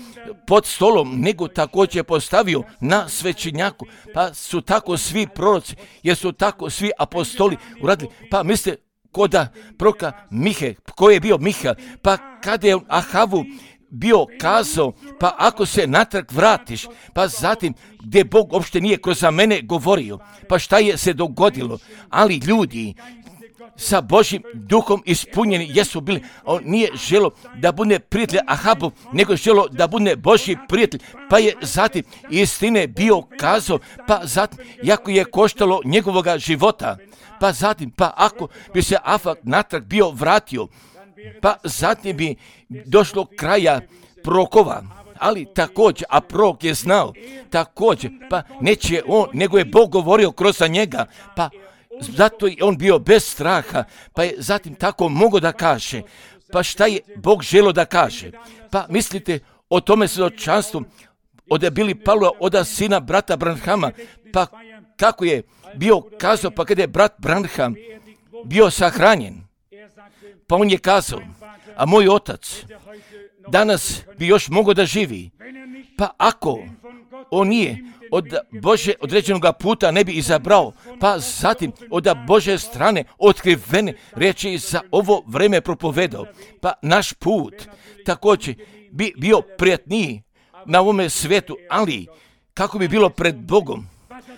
pod stolom, nego također je postavio na svećenjaku. Pa su tako svi proroci, jer su tako svi apostoli uradili. Pa mislite, koda proka Mihe, ko je bio Miha, pa kada je Ahavu bio kazao, pa ako se natrag vratiš, pa zatim gdje Bog uopšte nije kroz za mene govorio, pa šta je se dogodilo? Ali ljudi sa Božjim duhom ispunjeni jesu bili. On nije želo da bude prijatelj Ahabu, nego želo da bude Božji prijatelj. Pa je zatim istine bio kazao, pa zatim, jako je koštalo njegovoga života, pa zatim, pa ako bi se Afak natrag bio vratio, pa zatim bi došlo kraja prorokova. Ali također, a prorok je znao, također, pa neće on, nego je Bog govorio kroz njega, pa zato je on bio bez straha, pa je zatim tako mogao da kaže. Pa šta je Bog želo da kaže? Pa mislite o tome svjedočanstvu od Bili Pavla, od sina brata Branhama, pa kako je bio kazao, pa kada je brat Branham bio sahranjen, pa on je kazao, a moj otac danas bi još mogao da živi, pa ako on nije od Bože određenog puta ne bi izabrao, pa zatim od Bože strane otkrivene riječi za ovo vreme propovedao, pa naš put također bi bio prijatniji na ovome svijetu, ali kako bi bilo pred Bogom,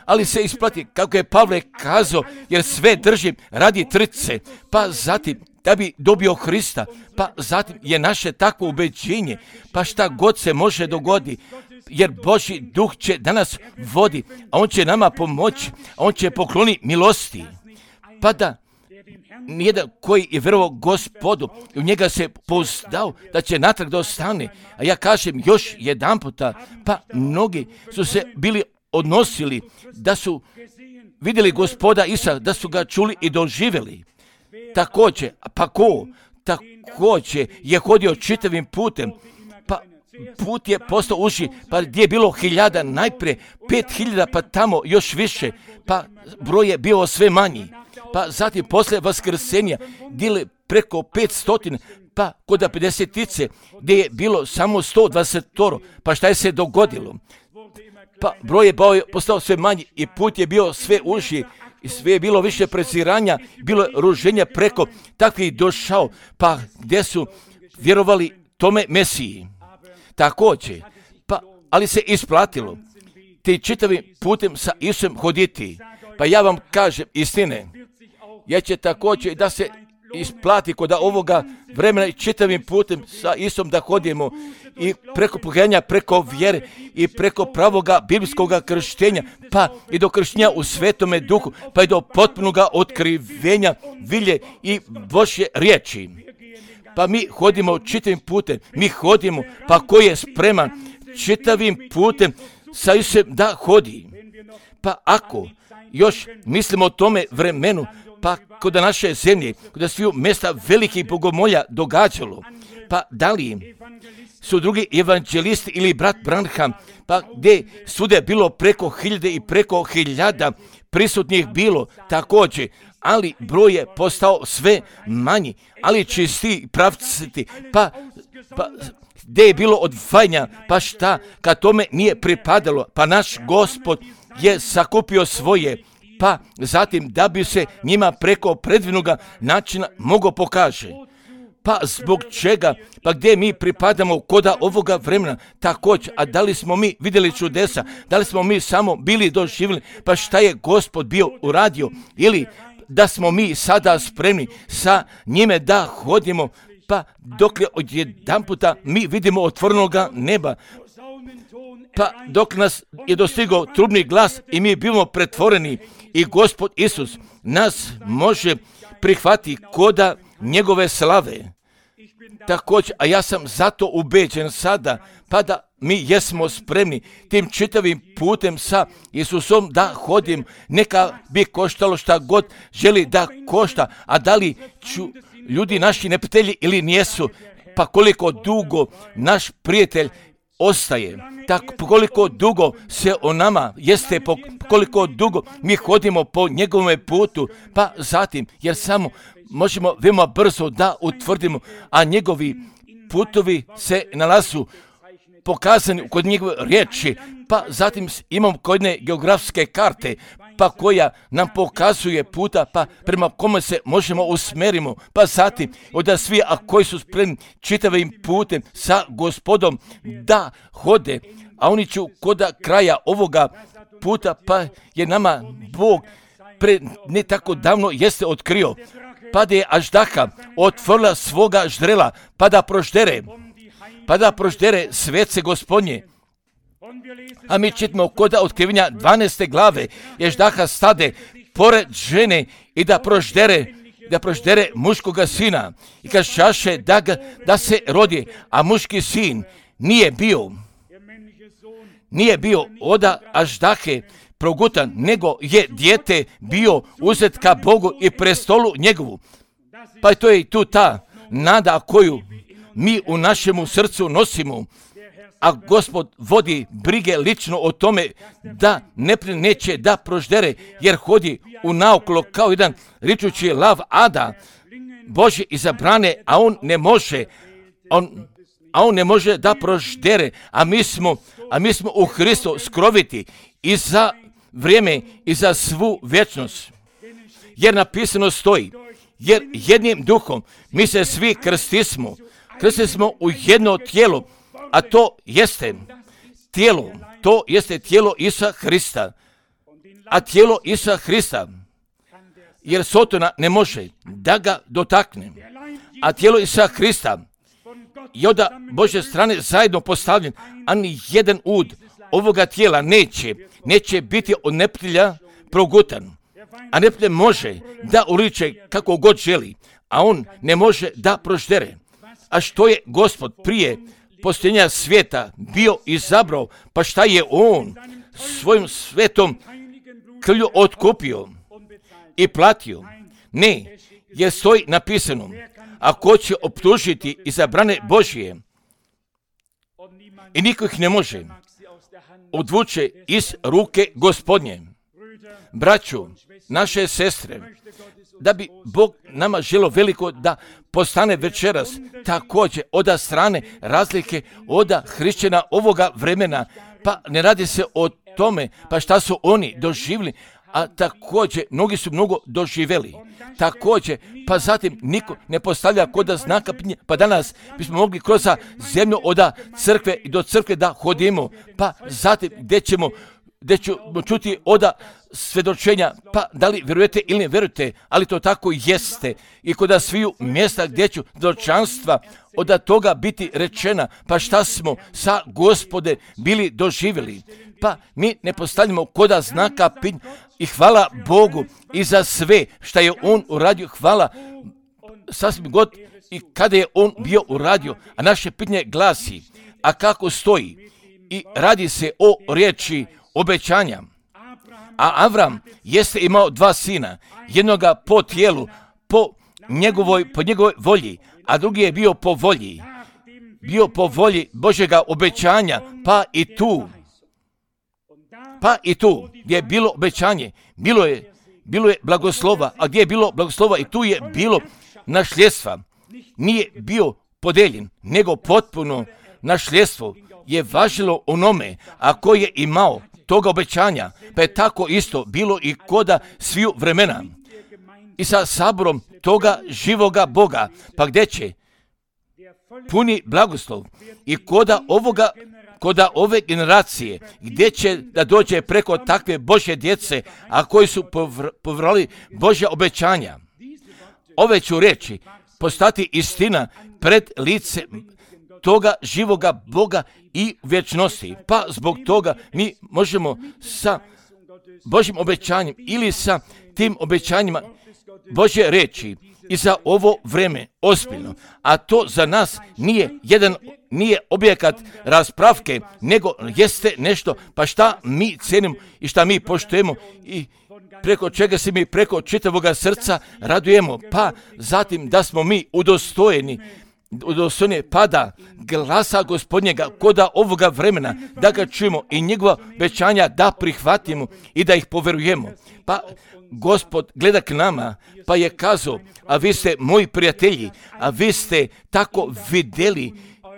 ali se isplati, kako je Pavle kazao, jer sve držim radi trce, pa zatim da bi dobio Hrista, pa zatim je naše takvo ubeđenje, pa šta god se može dogoditi, jer Božji duh će danas vodi, a on će nama pomoći, a on će pokloniti milosti, pa da nijedan koji je vjerovao Gospodu, u njega se pouzdao da će natrag da ostane. A ja kažem još jedan puta, pa mnogi su se bili odnosili da su vidjeli Gospoda Isusa, da su ga čuli i doživjeli. Također, pa ko? Također je hodio čitavim putem, pa put je postao uži, pa gdje je bilo hiljada, najprije pet hiljada, pa tamo još više, pa broj je bio sve manji. Pa zatim posle vaskrsenja dile preko petstotina, pa kod pedesetice gdje je bilo samo sto dvadeset, pa šta je se dogodilo? Pa broj je postao sve manji i put je bio sve uži i sve je bilo više preziranja, bilo je ruženja preko takvih došao, pa gdje su vjerovali tome Mesiji. Također, pa ali se isplatilo ti čitavim putem sa Isusom hoditi. Pa ja vam kažem istine, ja će također da se isplati kod ovoga vremena i čitavim putem sa Isusom da hodimo i preko pokajanja, preko vjere i preko pravoga biblijskog krštenja, pa i do krštenja u Svetome Duhu, pa i do potpunog otkrivenja vilje i Božje riječi. pa mi hodimo čitavim putem, mi hodimo, pa ko je spreman čitavim putem sa Isusom da hodi. Pa ako još mislimo o tome vremenu, pa kod naše zemlje, kod sviju mjesta velikih bogomolja događalo, pa da li su drugi evanđelisti ili brat Branham, pa gdje svude bilo preko hiljade i preko hiljada prisutnih bilo također, ali broj je postao sve manji, ali čisti pravciti, pa, pa gdje je bilo odvajanja, pa šta, kad tome nije pripadalo, pa naš Gospod je sakupio svoje, pa zatim da bi se njima preko predivnoga načina mogo pokaže. Pa zbog čega? Pa gdje mi pripadamo koda ovoga vremena također, a da li smo mi vidjeli čudesa, da li smo mi samo bili doživjeli, pa šta je Gospod bio uradio, ili da smo mi sada spremni sa njime da hodimo, pa dok je odjedan puta mi vidimo otvorenoga neba, pa dok nas je dostigao trubni glas i mi bivamo pretvoreni i Gospod Isus nas može prihvatiti koda njegove slave. Također, a ja sam zato ubeđen sada, pa da mi jesmo spremni tim čitavim putem sa Isusom da hodim, neka bi koštalo šta god želi da košta, a da li ću ljudi naši neprijatelji ili nijesu, pa koliko dugo naš prijatelj ostaje, tako koliko dugo se o nama jeste, po koliko dugo mi hodimo po njegovom putu, pa zatim, jer samo možemo veoma brzo da utvrdimo, a njegovi putovi se nalazu pokazani kod njegove riječi, pa zatim imamo kod jedne geografske karte, pa koja nam pokazuje puta, pa prema kome se možemo usmerimo, pa zatim od svi, a koji su spremni čitavim putem sa Gospodom da hode, a oni će kod kraja ovoga puta, pa je nama Bog pre ne tako davno jeste otkrio, pa da je Aždaha otvorila svoga ždrela, pa da proždere, pa da proždere svece Gospodnje. A mi čitamo kod otkrivenja dvanaeste glave, Aždaha stade pored žene i da proždere, da proždere muškoga sina i kažaše da, ga, da se rodi, a muški sin nije bio, nije bio oda Aždahe progutan, nego je dijete bio uzet ka Bogu i prestolu njegovu. Pa to je i tu ta nada koju mi u našemu srcu nosimo, a Gospod vodi brige lično o tome da ne neće da proždere, jer hodi u naokolo kao jedan ričući lav ada, Božje izabrane, a on ne može, on, a on ne može da proždere, a mi smo, a mi smo u Hristu skroviti i za vrijeme i za svu vječnost. Jer napisano stoji, jer jednim duhom mi se svi krstismo, krstismo u jedno tijelo, a to jeste tijelo, to jeste tijelo Isusa Hrista, a tijelo Isusa Hrista, jer Sotona ne može da ga dotakne, a tijelo Isusa Hrista je od Božje strane zajedno postavljen, a ni jedan ud ovoga tijela neće, neće biti od neprijatelja progutan, a neprijatelj može da uliče kako god želi, a on ne može da proždere. A što je Gospod prije postojenja svijeta bio izabrao, pa šta je on svojim svetom krvlju otkupio i platio? Ne, jer stoji napisano, a ko će optužiti izabrane Božije, i niko ih ne može odvuče iz ruke Gospodnje. Braćo, naše sestre, da bi Bog nama želo veliko da postane večeras također oda strane razlike oda hrišćana ovoga vremena, pa ne radi se o tome pa šta su oni doživjeli, a također mnogi su mnogo doživjeli. Također, pa zatim niko ne postavlja koda znaka, pa danas bismo mogli kroz zemlju oda crkve i do crkve da hodimo, pa zatim gdje ćemo gdje ćemo čuti oda svjedočenja, pa da li vjerujete ili ne vjerujete, ali to tako jeste. I kod sviju mjesta gdje ću svjedočanstva od toga biti rečena, pa šta smo sa Gospode bili doživjeli. Pa mi ne postavljamo koda znaka i hvala Bogu i za sve što je On uradio, hvala sasvim god i kada je on bio uradio, a naše pitanje glasi, a kako stoji? I radi se o riječi obećanja. A Avram jeste imao dva sina, jednoga po tijelu, po njegovoj, po njegovoj volji, a drugi je bio po volji, bio po volji Božjega obećanja, pa i tu, pa i tu gdje je bilo obećanje, bilo je, bilo je blagoslova, a gdje je bilo blagoslova i tu je bilo nasljedstva. Nije bio podeljen, nego potpuno nasljedstvo je važilo onome, a ko je imao toga obećanja, pa je tako isto bilo i koda sviju vremena. I sa saborom toga živoga Boga, pa gdje će puni blagoslov i koda ovoga, koda ove generacije, gdje će da dođe preko takve Božje djece, a koji su povjerali Božja obećanja. Ove ću reći postati istina pred lice toga živoga Boga i vječnosti. Pa zbog toga mi možemo sa Božjim obećanjem ili sa tim obećanjima Božje reći i za ovo vreme ozbiljno. A to za nas nije jedan, nije objekat raspravke, nego jeste nešto, pa šta mi cenimo i šta mi poštujemo i preko čega se mi preko čitavoga srca radujemo, pa zatim da smo mi udostojeni, udostojeni pada glasa Gospodnjega koda ovoga vremena, da ga čujemo i njegova obećanja da prihvatimo i da ih poverujemo. Pa Gospod gleda k nama, pa je kazao, a vi ste moji prijatelji, a vi ste tako vidjeli,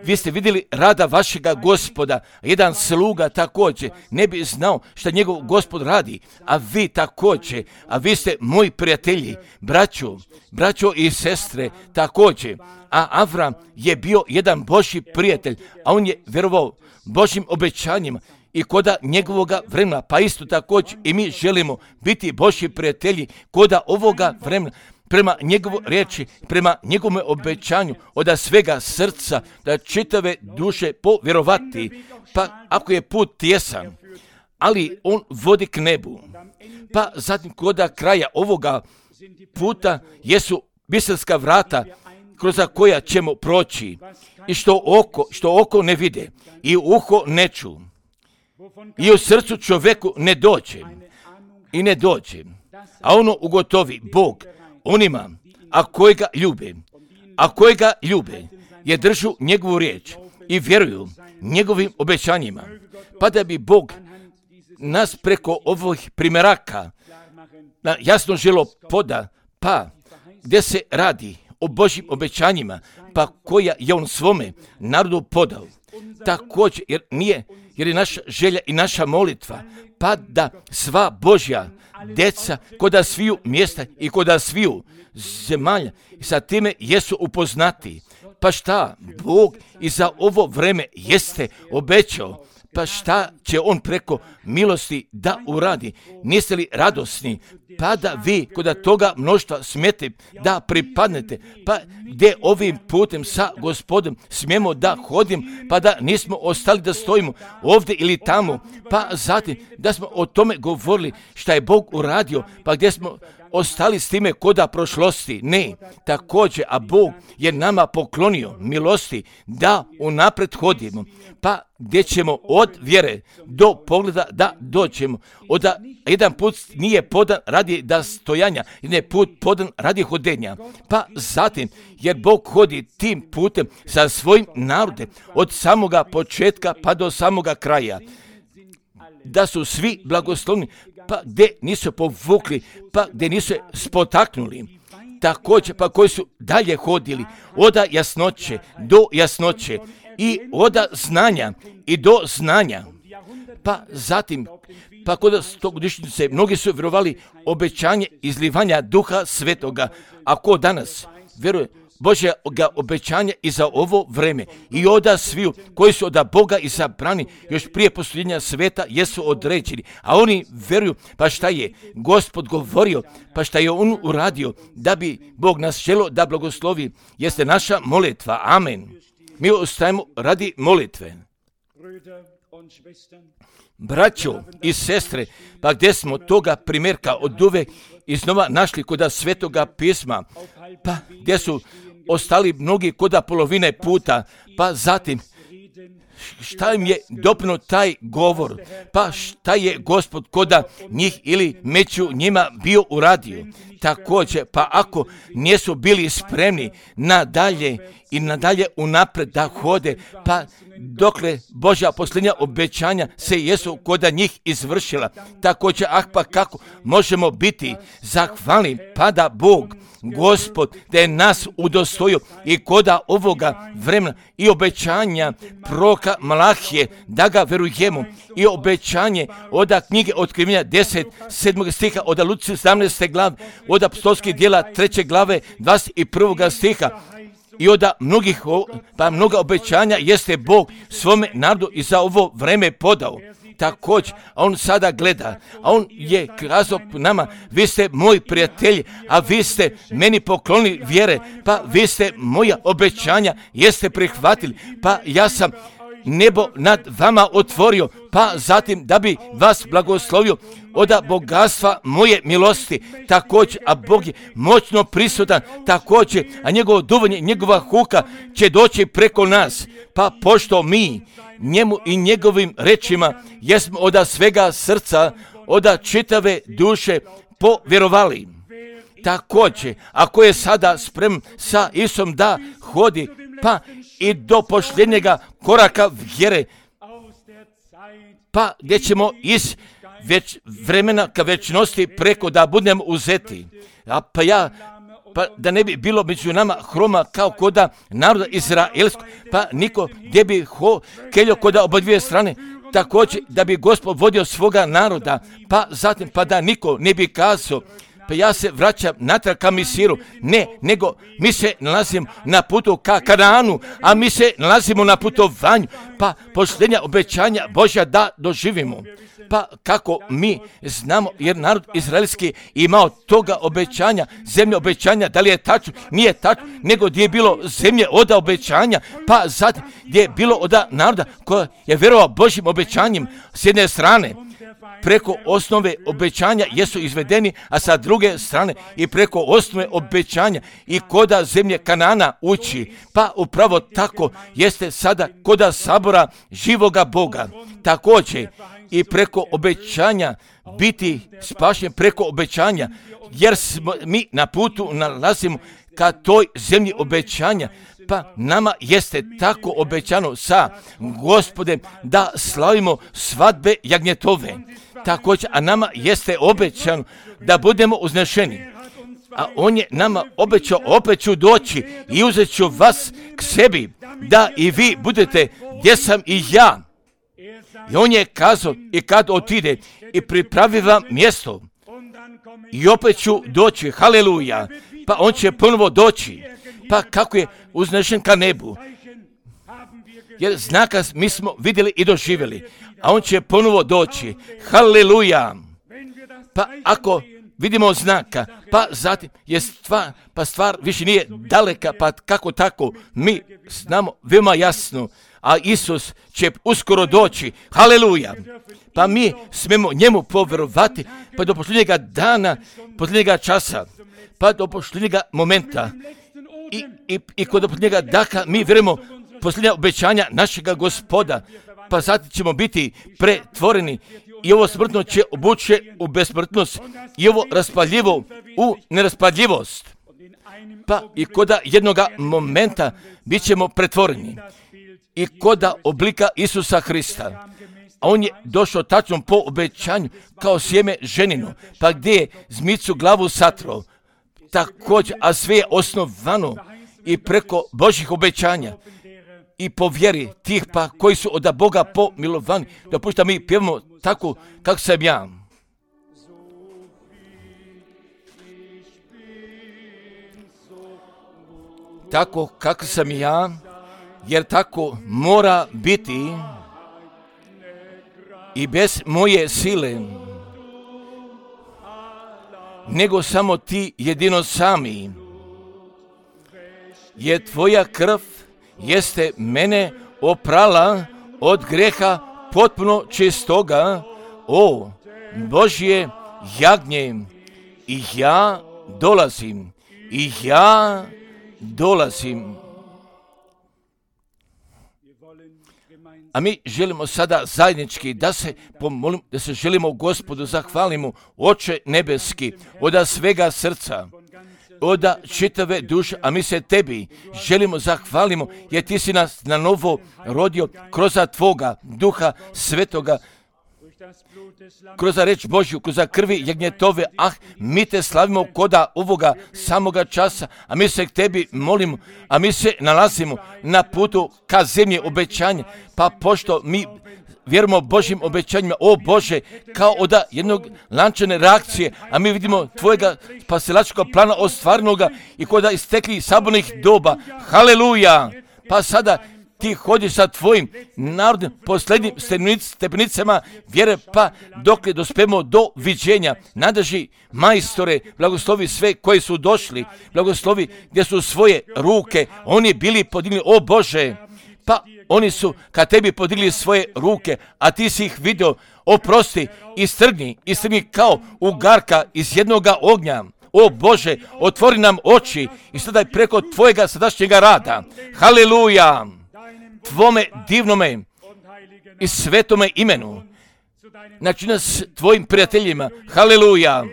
vi ste vidjeli rada vašega Gospoda. Jedan sluga također ne bi znao šta njegov Gospod radi, a vi također, a vi ste moji prijatelji, braćo, braćo i sestre također. A Avram je bio jedan Božji prijatelj, a on je vjerovao Božjim obećanjima i koda njegovoga vremena, pa isto također i mi želimo biti Božji prijatelji koda ovoga vremena, prema njegovoj riječi, prema njegovom obećanju, od svega srca, da čitave duše povjerovati, pa ako je put tjesan, ali on vodi k nebu. Pa zatim koda kraja ovoga puta jesu biserska vrata kroz koja ćemo proći i što oko, što oko ne vide i uho ne ču i u srcu čovjeku ne dođe i ne dođe, a ono ugotovi Bog onima, a koji ga ljube, a koji ga ljube, je držu njegovu riječ i vjeruju njegovim obećanjima, pa da bi Bog nas preko ovih primjeraka jasno želo poda, pa gdje se radi o Božjim obećanjima, pa koja je on svome narodu podao. Također, jer nije, jer je naša želja i naša molitva, pa da sva Božja djeca koda sviju mjesta i koda sviju zemalja i sa time jesu upoznati. Pa šta Bog i za ovo vreme jeste obećao, pa šta će on preko milosti da uradi? Niste li radosni? Pa da vi koda toga mnoštva smijete da pripadnete, pa gdje ovim putem sa Gospodom smijemo da hodim, pa da nismo ostali da stojimo ovdje ili tamo, pa zatim da smo o tome govorili šta je Bog uradio, pa gdje smo ostali s time koda prošlosti. Ne, također, a Bog je nama poklonio milosti da unaprijed hodimo, pa gdje ćemo od vjere do pogleda da dođemo. Oda jedan put nije podan radi da stojanja, jedan je put podan radi hodenja. Pa zatim, jer Bog hodi tim putem sa svojim narodem od samoga početka pa do samoga kraja. Da su svi blagoslovni, pa gdje nisu povukli, pa gdje nisu spotaknuli. Također, pa koji su dalje hodili od jasnoće do jasnoće i od znanja i do znanja. Pa zatim, pa kod stogodišnjice mnogi su vjerovali obećanje izlivanja Duha Svetoga, a ko danas vjeruje Božjega obećanja i za ovo vreme i oda sviju koji su od Boga izabrani još prije posljednja sveta jesu određeni, a oni vjeruju pa šta je Gospod govorio, pa šta je on uradio da bi Bog nas želio da blagoslovi, jeste naša molitva. Amen. Mi ostajemo radi molitve. Braćo i sestre, pa gdje smo toga primjerka od uvek iznova našli koda Svetoga pisma, pa gdje su ostali mnogi koda polovine puta, pa zatim šta im je doprinio taj govor, pa šta je Gospod koda njih ili među njima bio uradio. Također, pa ako nisu bili spremni nadalje i nadalje unapred da hode, pa dokle Božja posljednja obećanja se jesu koda njih izvršila. Također, ah pa kako možemo biti zahvalni, pa da Bog, Gospod, da je nas udostojio i koda ovoga vremena i obećanja proroka Malahije, da ga verujemo, i obećanje od knjige Otkrivenja deset, sedmog stiha, od Luci sedamnaeste glave, od apostolskih djela treće glave, dvadeset prvog stiha, i od mnogih, pa mnoga obećanja jeste Bog svome narodu i za ovo vreme podao. Također, a on sada gleda, a on je kazao nama, vi ste moji prijatelji, a vi ste meni poklonili vjere, pa vi ste moja obećanja, jeste prihvatili, pa ja sam nebo nad vama otvorio, pa zatim da bi vas blagoslovio od bogatstva moje milosti. Također, a Bog je moćno prisutan, također, a njegovo duvanje, njegova huka će doći preko nas, pa pošto mi njemu i njegovim rečima jesmo od svega srca, od čitave duše povjerovali. Također, ako je sada spreman sa Isom da hodi, pa i do posljednjega koraka vjere, pa gdje ćemo iz već vremena ka večnosti preko da budemo uzeti. A pa ja, pa da ne bi bilo među nama hroma kao koda naroda izraelskog, pa niko gdje bi ho keljo koda oba dvije strane, također da bi Gospod vodio svoga naroda, pa zatim pa da niko ne bi kazao, pa ja se vraćam natrag ka Misiru. Ne, nego mi se nalazimo na putu ka Kanaanu, a mi se nalazimo na putovanju, pa posljednja obećanja Božja da doživimo. Pa kako mi znamo, jer narod izraelski imao toga obećanja, zemlje obećanja, da li je tačno, nije tačno, nego gdje je bilo zemlje oda obećanja, pa zatim gdje je bilo oda naroda koja je vjerovao Božjim obećanjem s jedne strane, preko osnove obećanja jesu izvedeni, a sa druge strane i preko osnove obećanja i koda zemlje Kanana ući. Pa upravo tako jeste sada koda sabora živoga Boga. Također i preko obećanja biti spašen preko obećanja, jer smo mi na putu nalazimo ka toj zemlji obećanja. Pa nama jeste tako obećano sa Gospodem da slavimo svadbe jagnjetove. Također, a nama jeste obećano da budemo uznešeni. A on je nama obećao, opet ću doći i uzet ću vas k sebi, da i vi budete gdje sam i ja. I on je kazao, i kad otide i pripravi vam mjesto, i opet ću doći, haleluja, pa on će ponovo doći. Pa kako je uznešen ka nebu, jer znaka mi smo vidjeli i doživjeli, a on će ponovo doći, haleluja. Pa ako vidimo znaka, pa zatim je stvar, pa stvar više nije daleka, pa kako tako mi znamo veoma jasno, a Isus će uskoro doći, haleluja. Pa mi smemo njemu povjerovati, pa do posljednjega dana, posljednjega časa, pa do posljednjega momenta, I, i, i kod posljednjega daka mi vjerujemo posljednja obećanja našega Gospoda, pa zatim ćemo biti pretvoreni i ovo smrtno će obuće u besmrtnost i ovo raspaljivo u neraspaljivost. Pa i koda jednoga momenta bit ćemo pretvoreni i koda oblika Isusa Hrista. A on je došao tačno po obećanju kao sjeme ženinu, pa gdje je zmicu glavu satro. Također, a sve je osnovano i preko Božjih obećanja i po vjeri tih pa koji su od Boga pomilovani. Dopušta mi pjevamo tako kako sam ja. Tako kako sam ja, jer tako mora biti i bez moje sile, nego samo ti jedino sami, jer tvoja krv jeste mene oprala od greha potpuno čistoga, o Božje jagnje, i ja dolazim, i ja dolazim. A mi želimo sada zajednički da se pomolimo, da se želimo Gospodu zahvalimo, Oče nebeski, od svega srca, od čitave duše, a mi se tebi želimo zahvalimo, jer ti si nas na novo rodio kroz tvoga duha svetoga, kroz reč Božju, kroz krvi jagnjetove. Ah, mi te slavimo koda ovoga samoga časa, a mi se k tebi molimo, a mi se nalazimo na putu ka zemlji obećanja, pa pošto mi vjerujemo Božjim obećanjima, o Bože, kao od jednog lančane reakcije, a mi vidimo tvojega spasilačkog plana ostvarenoga i koda istekli sabornih doba. Haleluja! Pa sada ti hodiš sa tvojim narodnim posljednjim stepenicama vjere, pa dok je dospemo do viđenja. Nadrži majstore, blagoslovi sve koji su došli, blagoslovi gdje su svoje ruke, oni bili podigli, o Bože, pa oni su kad tebi podigli svoje ruke, a ti si ih vidio, oprosti, istrgni, istrgni kao ugarka iz jednoga ognja. O Bože, otvori nam oči i sada preko tvojega sadašnjega rada. Haleluja! Tvome divnome i svetome imenu. Znači nas tvojim prijateljima. Haleluja!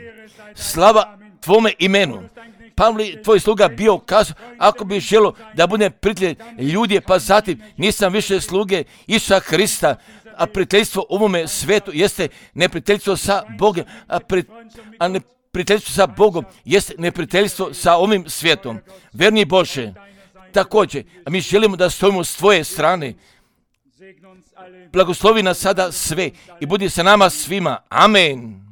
Slava tvome imenu. Pavli, tvoj sluga bio kazao, ako bi želo da bude prijatelj ljudi, pa zatim nisam više sluge Isusa Hrista, a prijateljstvo ovome svetu jeste neprijateljstvo sa Bogom, a, pri, a neprijateljstvo sa Bogom jeste neprijateljstvo sa ovim svijetom. Verni Bože, također, a mi želimo da stojimo s tvoje strane. Blagoslovi nas sada sve i budi sa nama svima. Amen.